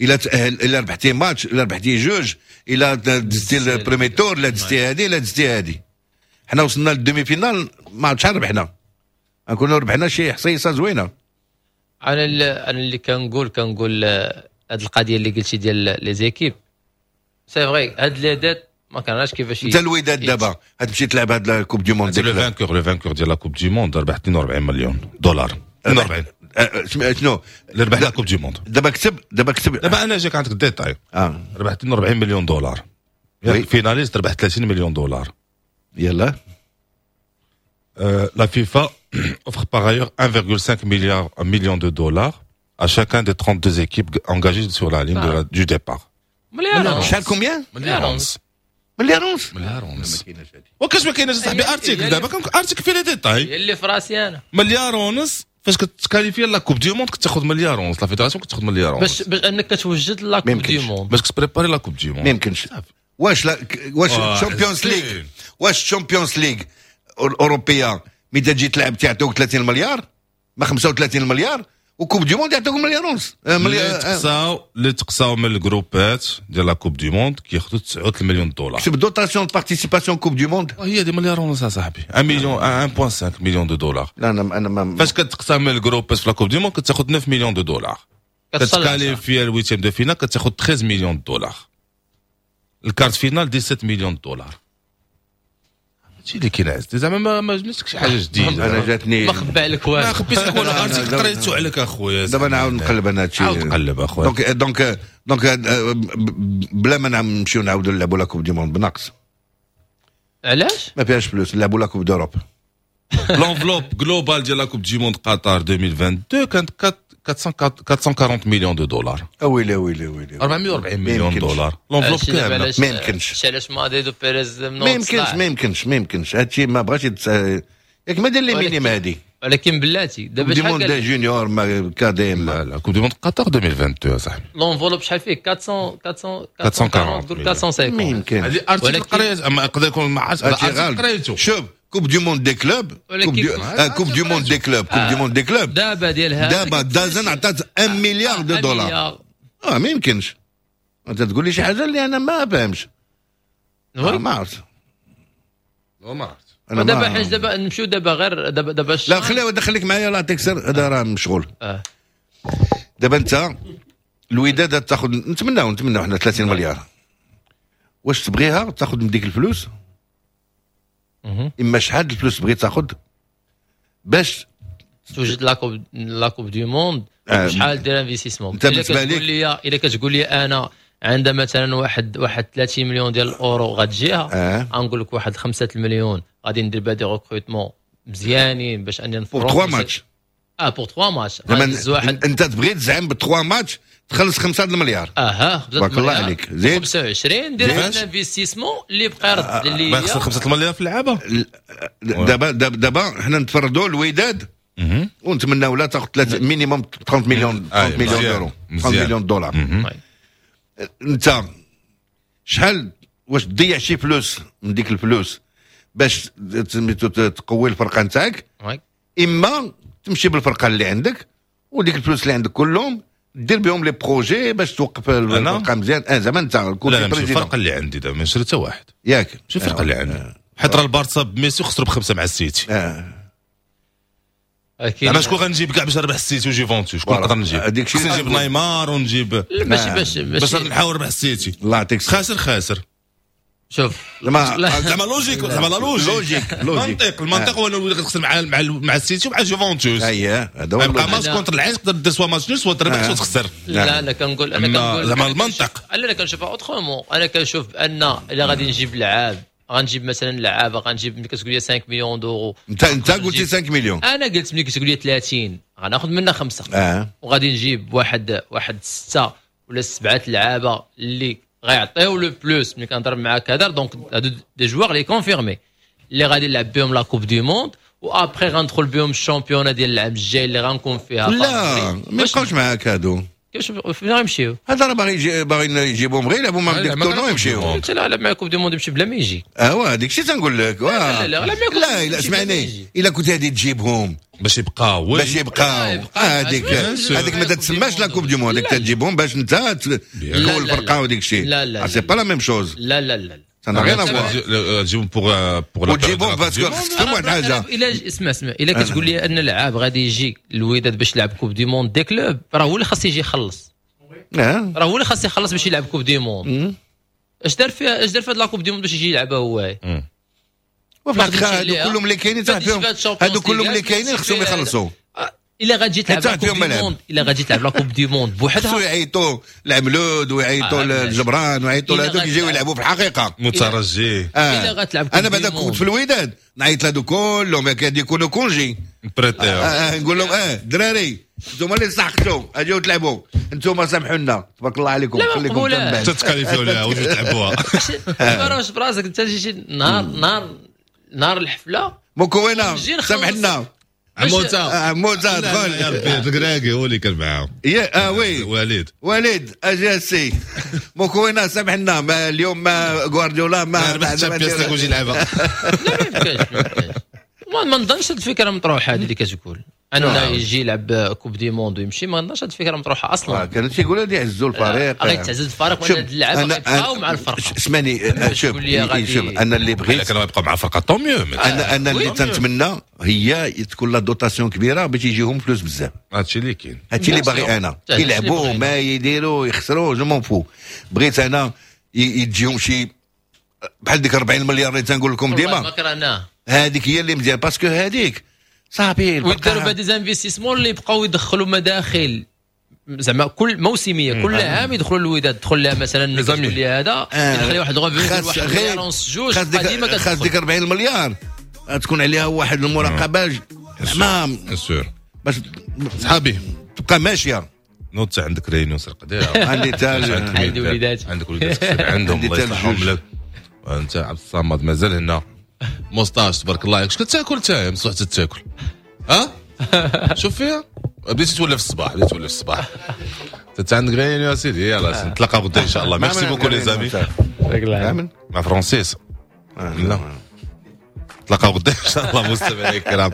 الا تاهل، الا ربحتي ماتش، الا ربحتي جوج، الا دزتي ال premier tour، الا دزتي هادي، الا دزتي هادي. حنا وصلنا لل demi-finale، ما عرفت شحال ربحنا، نكونوا ربحنا شي حصيصه زوينة. انا اللي انا اللي كنقول كنقول آه، هاد القضية اللي قلتي ديال les équipes، c'est vrai، هاد les dettes ما كانش كيفاش. انت الوداد دابا غتمشي تلعب هاد la coupe du monde. le vainqueur le vainqueur ديال la coupe du monde ربح اثنين وأربعين مليون دولار، اثنين وأربعين. أه، شنو؟ اللي ربح la coupe du monde. دابا كتب، دابا كتب. دابا انا جاك عندك détail. اه ربح اثنين وأربعين مليون دولار. oui. finaliste ربح ثلاثين مليون دولار. يلا. Euh, la FIFA offre par ailleurs un virgule cinq milliard million de dollars à chacun des trente-deux équipes engagées sur la ligne de la, du départ. مليار. شحال؟ combien؟ مليار ونص. مليار ونص. مليار ونص. ما كايناش هادي. وكاش ما كايناش صاحبي؟ article دابا كان article فيه les détails. هي اللي في راسي انا. مليار ونص، فاش كت qualifier la coupe du monde كتاخذ مليار ونص، la fédération كتاخذ مليار ونص. باش باش انك كتوجد la coupe du monde. باش كت préparer la coupe du monde. ما يمكنش. واش لا واش آه، Champions League، واش Champions League الاوروبية ملي تجي تلعب تعطوك ثلاثين مليار، ما خمسة وثلاثين مليار، و coupe du monde يعطوك مليار ونص؟ آه، اللي مليار آه. تقصاو اللي تقصاو من الجروبات ديال la coupe du monde كياخذوا تسعة مليون دولار. كتب dotation participation coupe du monde. هي دي مليار ونص اصاحبي، واحد مليون، واحد فاصلة خمسة million de dollars. لا، انا انا ما فاش كتقسم من الجروبات في la coupe du monde كتاخذ تسعة millions de dollars. كت qualifier ال huitième de finale كتاخذ تلتاش millions de dollars، ال quart de finale dix-sept millions de dollars. هادشي اللي كاين عزتي، زعما ما ما جبتلكش شي حاجة جديده. انا جاتني ما خبى عليك والو. ما خبيت لك والو. لا، article لا، قريتو عليك اخويا. دابا نعاود نقلب انا هادشي. عاود قلب اخويا. donc donc donc آه، بلا ما نمشيو نعاودو نلعبوا la coupe du monde بناقص. علاش؟ ما فيهاش فلوس، نلعبوا la coupe d'Europe. l'enveloppe globale ديال la coupe du monde قطر ألفين واثنين وعشرين كانت أربعمية وأربعين millions de dollars. اويلي ويلي ويلي! أربعمية وأربعين مليون يمكنش. دولار l'enveloppe كامله. ما يمكنش. علاش مدريد وبيريز؟ ما يمكنش، ما يمكنش، ما يمكنش. هادشي ما بغاش يتس... ياك ما دير les minimes هادي. ولكن بلاتي دابا du شحال monde قال juniors ما cadets ما لا لا، coupe du monde قطر ألفين واثنين وعشرين صاحبي. l'enveloppe شحال فيه؟ أربعمية أربعمية أربعمية وأربعين. أربعمية وخمسين، أربعمية وخمسين. ما يمكنش. هذه article ولكن- قريت، اما يقدر يكون ما عرفتش. هادشي article غلط. قريتو. شوف coupe du monde des clubs، ولكن- coupe du آه، coupe du monde des clubs، coupe du monde des clubs. دابا ديال هذا. دابا DAZN عطات واحد milliard de dollars. اه ما يمكنش، انت تقول لي شي حاجة اللي انا ما فاهمش. آه ما عرفت. ما عرفت. انا دابا ما حيت دابا نمشيو دابا غير دابا دابا لا، خليه، دخليك معايا، لا تكسر، هذا راه مشغول. آه. دابا انت الوداد تاخذ، نتمناو نتمناو حنا ثلاثين مليار، واش تبغيها تاخذ من ديك الفلوس؟ مهم. اما شحال الفلوس تبغي تاخذ باش توجد la coupe la coupe du monde؟ آه، شحال دير investissement؟ انت بالنسبة كتقول لك- لي الا كتقول لي انا عندها مثلا واحد واحد ثلاثين مليون ديال الاورو غتجيها، اه غنقول لك واحد خمسة المليون غادي ندير بها des recrutements مزيانين باش اني pour trois matchs. اه، pour trois matchs. زعما غندز واحد انت تبغي تزعم ب trois matchs تخلص خمسة المليار؟ اها. تبارك الله عليك، زيد. خمسة وعشرين دير زيد. investissement اللي بقى يرد اللي ما يخسر خمسة المليار في اللعابه. دابا دابا دابا حنا نتفرضوا الوداد ونتمناو لا تاخذ ثلاثة minimum ثلاثين مليون، ثلاثين مليون مزيان. يورو، ثلاثين مزيان. مليون دولار. انت شحال؟ واش تضيع شي فلوس من ديك الفلوس باش سميتو تقوي الفرقة نتاعك؟ oui. اما تمشي بالفرقة اللي عندك وديك الفلوس اللي عندك كلهم دير بهم les projets باش توقف الفرقة مزيان. اه زعما انت لا لا، ماشي الفرقة اللي عندي دابا، ما نشري حتى واحد. ياك؟ ماشي الفرقة اللي عندي، حيت راه البارسا بميسي خسروا بخمسة مع السيتي. اه اكيد. انا شكون غنجيب كاع باش نربح السيتي وجيفونتوس؟ شكون voilà. نقدر نجيب؟ هذيك الشيء خصني نجيب نيمار ونجيب لا، ماشي باش باش ماشي نحاول نربح السيتي. الله يعطيك الصحة. خاسر خاسر. شوف. زعما لا. زعما logique، زعما la logique. logique، logique. المنطق المنطق هو انه تخسر مع مع مع السيتي ومع جوفونتوس. اييه، هذا هو يبقى ال logique. match contre العين تقدر دير soit match nul، soit تربح، soit تخسر. لا، انا كنقول انا أما كنقول زعما المنطق. لا، انا كنشوفها autrement. انا كنشوف بان الا غادي نجيب لعاب، غنجيب مثلا لعابه، غنجيب ملي كتقول لي خمسة millions d'euros. انت انت قلتي خمسة مليون. انا قلت ملي كتقول لي ثلاثين غناخذ منها خمسة اه وغادي نجيب واحد واحد ستة ولا سبعة لعابه اللي غيعطيو le plus ملي كنضرب معاك هذا. donc هادو des joueurs les confirmés اللي غادي نلعب بهم la coupe du monde و après غندخل بهم ال championnat ديال العام الجاي اللي غنكون فيها لا، favori. ما يبقاوش معاك هادو. كيفاش فين غيمشيو؟ هذا راه باغي يجي باغيين يجيبوهم غير يلعبوا معاهم ديك ال tournoi يمشيو. انت لا لعب مع Coupe du Monde يمشي بلا ما يجي. اه هذيك الشيء تنقول لك. لا لا لا لا لا اسمعني، الا كنت غادي تجيبهم باش يبقاو باش يبقاو هذيك هذيك ما تتسماش la Coupe du Monde، هذيك تجيبهم باش انت تكون الفرقة وديك الشيء. لا c'est pas la même chose. لا لا لا ça n'a rien à voir. تجيبهم pour pour وتجيبهم parce que خصك تفهم واحد الحاجة. الا اسمع اسمع، الا كتقول لي ان اللاعب غادي يجي الوداد باش يلعب Coupe du Monde des clubs، راه هو اللي خاص يجي يخلص. راه هو اللي خاص يخلص باش يلعب Coupe du Monde. اش دار فيها اش دار في هاد la Coupe du Monde باش يجي يلعبها هو؟ وفي الحقيقة هادو كلهم اللي كاينين فيهم، هادو كلهم اللي كاينين خصهم يخلصوا. الا غادي تلعب la Coupe du Monde، الا غادي تلعب la Coupe du Monde بوحدها خصو يعيطوا العملود ويعيطوا للجبران ويعيطوا لهذوك يجيو يلعبوا في الحقيقة مترجي. الا غتلعب انا بعدا كنت في الوداد نعيط لهذو كلهم كاد يكونوا congé prêté، نقول لهم اه دراري انتم اللي سحقتوا اجيو تلعبوا انتم سامحوا لنا تبارك الله عليكم خليكم من بعد تتكاليفيو لها وجيو تلعبوها. ما راهش براسك انت جيتي نهار نهار نهار الحفلة مكونة سامح لنا عموتا عموتا دخل يا ربي الكراكي هو اللي كان معاهم. يا اه oui وليد وليد اجي سي مكونة سامح لنا ما اليوم ما غوارديولا ما ربح ال Champions League وجي يلعبها. لا ما يمكنش ما ما نظنش هاد الفكرة مطروحة هذه اللي كتقول انه يجي يلعب Coupe du Monde ويمشي، ما نظنش هاد الفكرة مطروحة اصلا. كانوا تيقولوا غادي يعزوا الفريق، غادي تعزز الفريق وان هاد اللعابه غيبقاو مع الفرقة. اسمعني شوف شوف انا اللي بغيت كانوا يبقاو مع الفرقة tant mieux. انا انا اللي تنتمنى هي تكون la dotation كبيرة باش يجيهم فلوس بزاف. هادشي اللي كاين، هادشي اللي باغي انا. يلعبوا ما يديروا يخسروا je m'en fous. بغيت انا يجيهم شي بحال ديك أربعين مليار اللي تنقول لكم ديما، هذيك هي اللي مزيان parce que هذيك صافي ويداروا بها des investissements اللي يبقاو يدخلوا مداخل زعما كل موسميه كل عام يدخلوا الوداد تدخل لها مثلا تقول لي هذا يدخل واحد revenu واحد مليار ونص جوج قديمة خاص ديك أربعين مليار تكون عليها واحد المراقبة زعما sûr باش صحابي تبقى ماشية. نوض عندك réunion سرق ديرها عندي تال عندي وليدات عندك وليدات عندهم الله يصلحهم لك. وانت عبد الصمد مازال هنا moustache تبارك الله عليك. اش كتاكل انت مصلح تاكل؟ ها شوف فيها بديتي تولف الصباح، بديتي تولف الصباح انت عندك réunion يا سيدي. يلاه نتلاقاو غدا ان شاء الله. merci beaucoup les amis. مع فرانسيس لا نتلاقاو غدا ان شاء الله مستمعينا الكرام.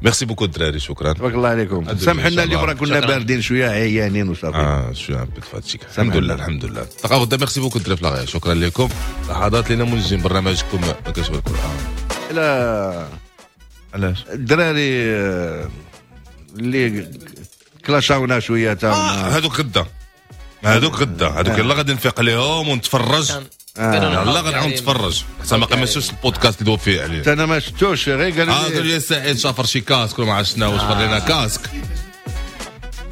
merci beaucoup الدراري شكرا تبارك الله عليكم. سامحوا لنا اليوم راه كنا باردين شوية عيانين وصافي اه شوية un peu fatigué. الحمد لله الحمد لله. نتلاقاو غدا. merci beaucoup الدراري في لاغيا. شكرا لكم. لحظات لينا منجم برنامجكم ما كاش بالكل. لا علاش الدراري اللي كلاشاونا شوية تا آه هذوك غدا هذوك غدا هذوك يلا غادي نفيق ليهم ونتفرج. يلا غادي نعاود نتفرج حتى ما قمشوش البودكاست اللي دوا فيه عليه. انا ما شفتوش غير قالوا لي قالوا لي سعيد شافر شي casque ولا ما عرفت شنو شفر لنا casque.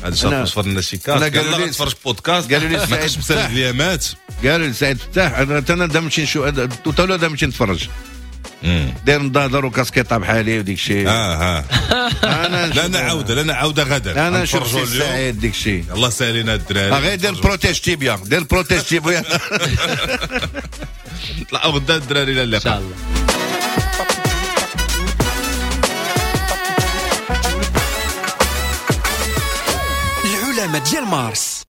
هذا شافر شفر لنا شي casque. قالوا لي نتفرج بودكاست قالوا لي ما كاينش مسالي اليامات. قالوا لي سعيد فتاح انا انا نمشي نشوف تو نمشي نتفرج داير نضادر وكاسكيطه بحالي وديك الشيء. اه اه انا لا نعاود لا نعاود غدا انا نشوف سعيد ديك الشيء. الله سالينا الدراري. غير دير protège-tibia دير protège-tibia. نطلعوا غدا الدراري الى اللقاء ان شاء الله. العلماء ديال مارس.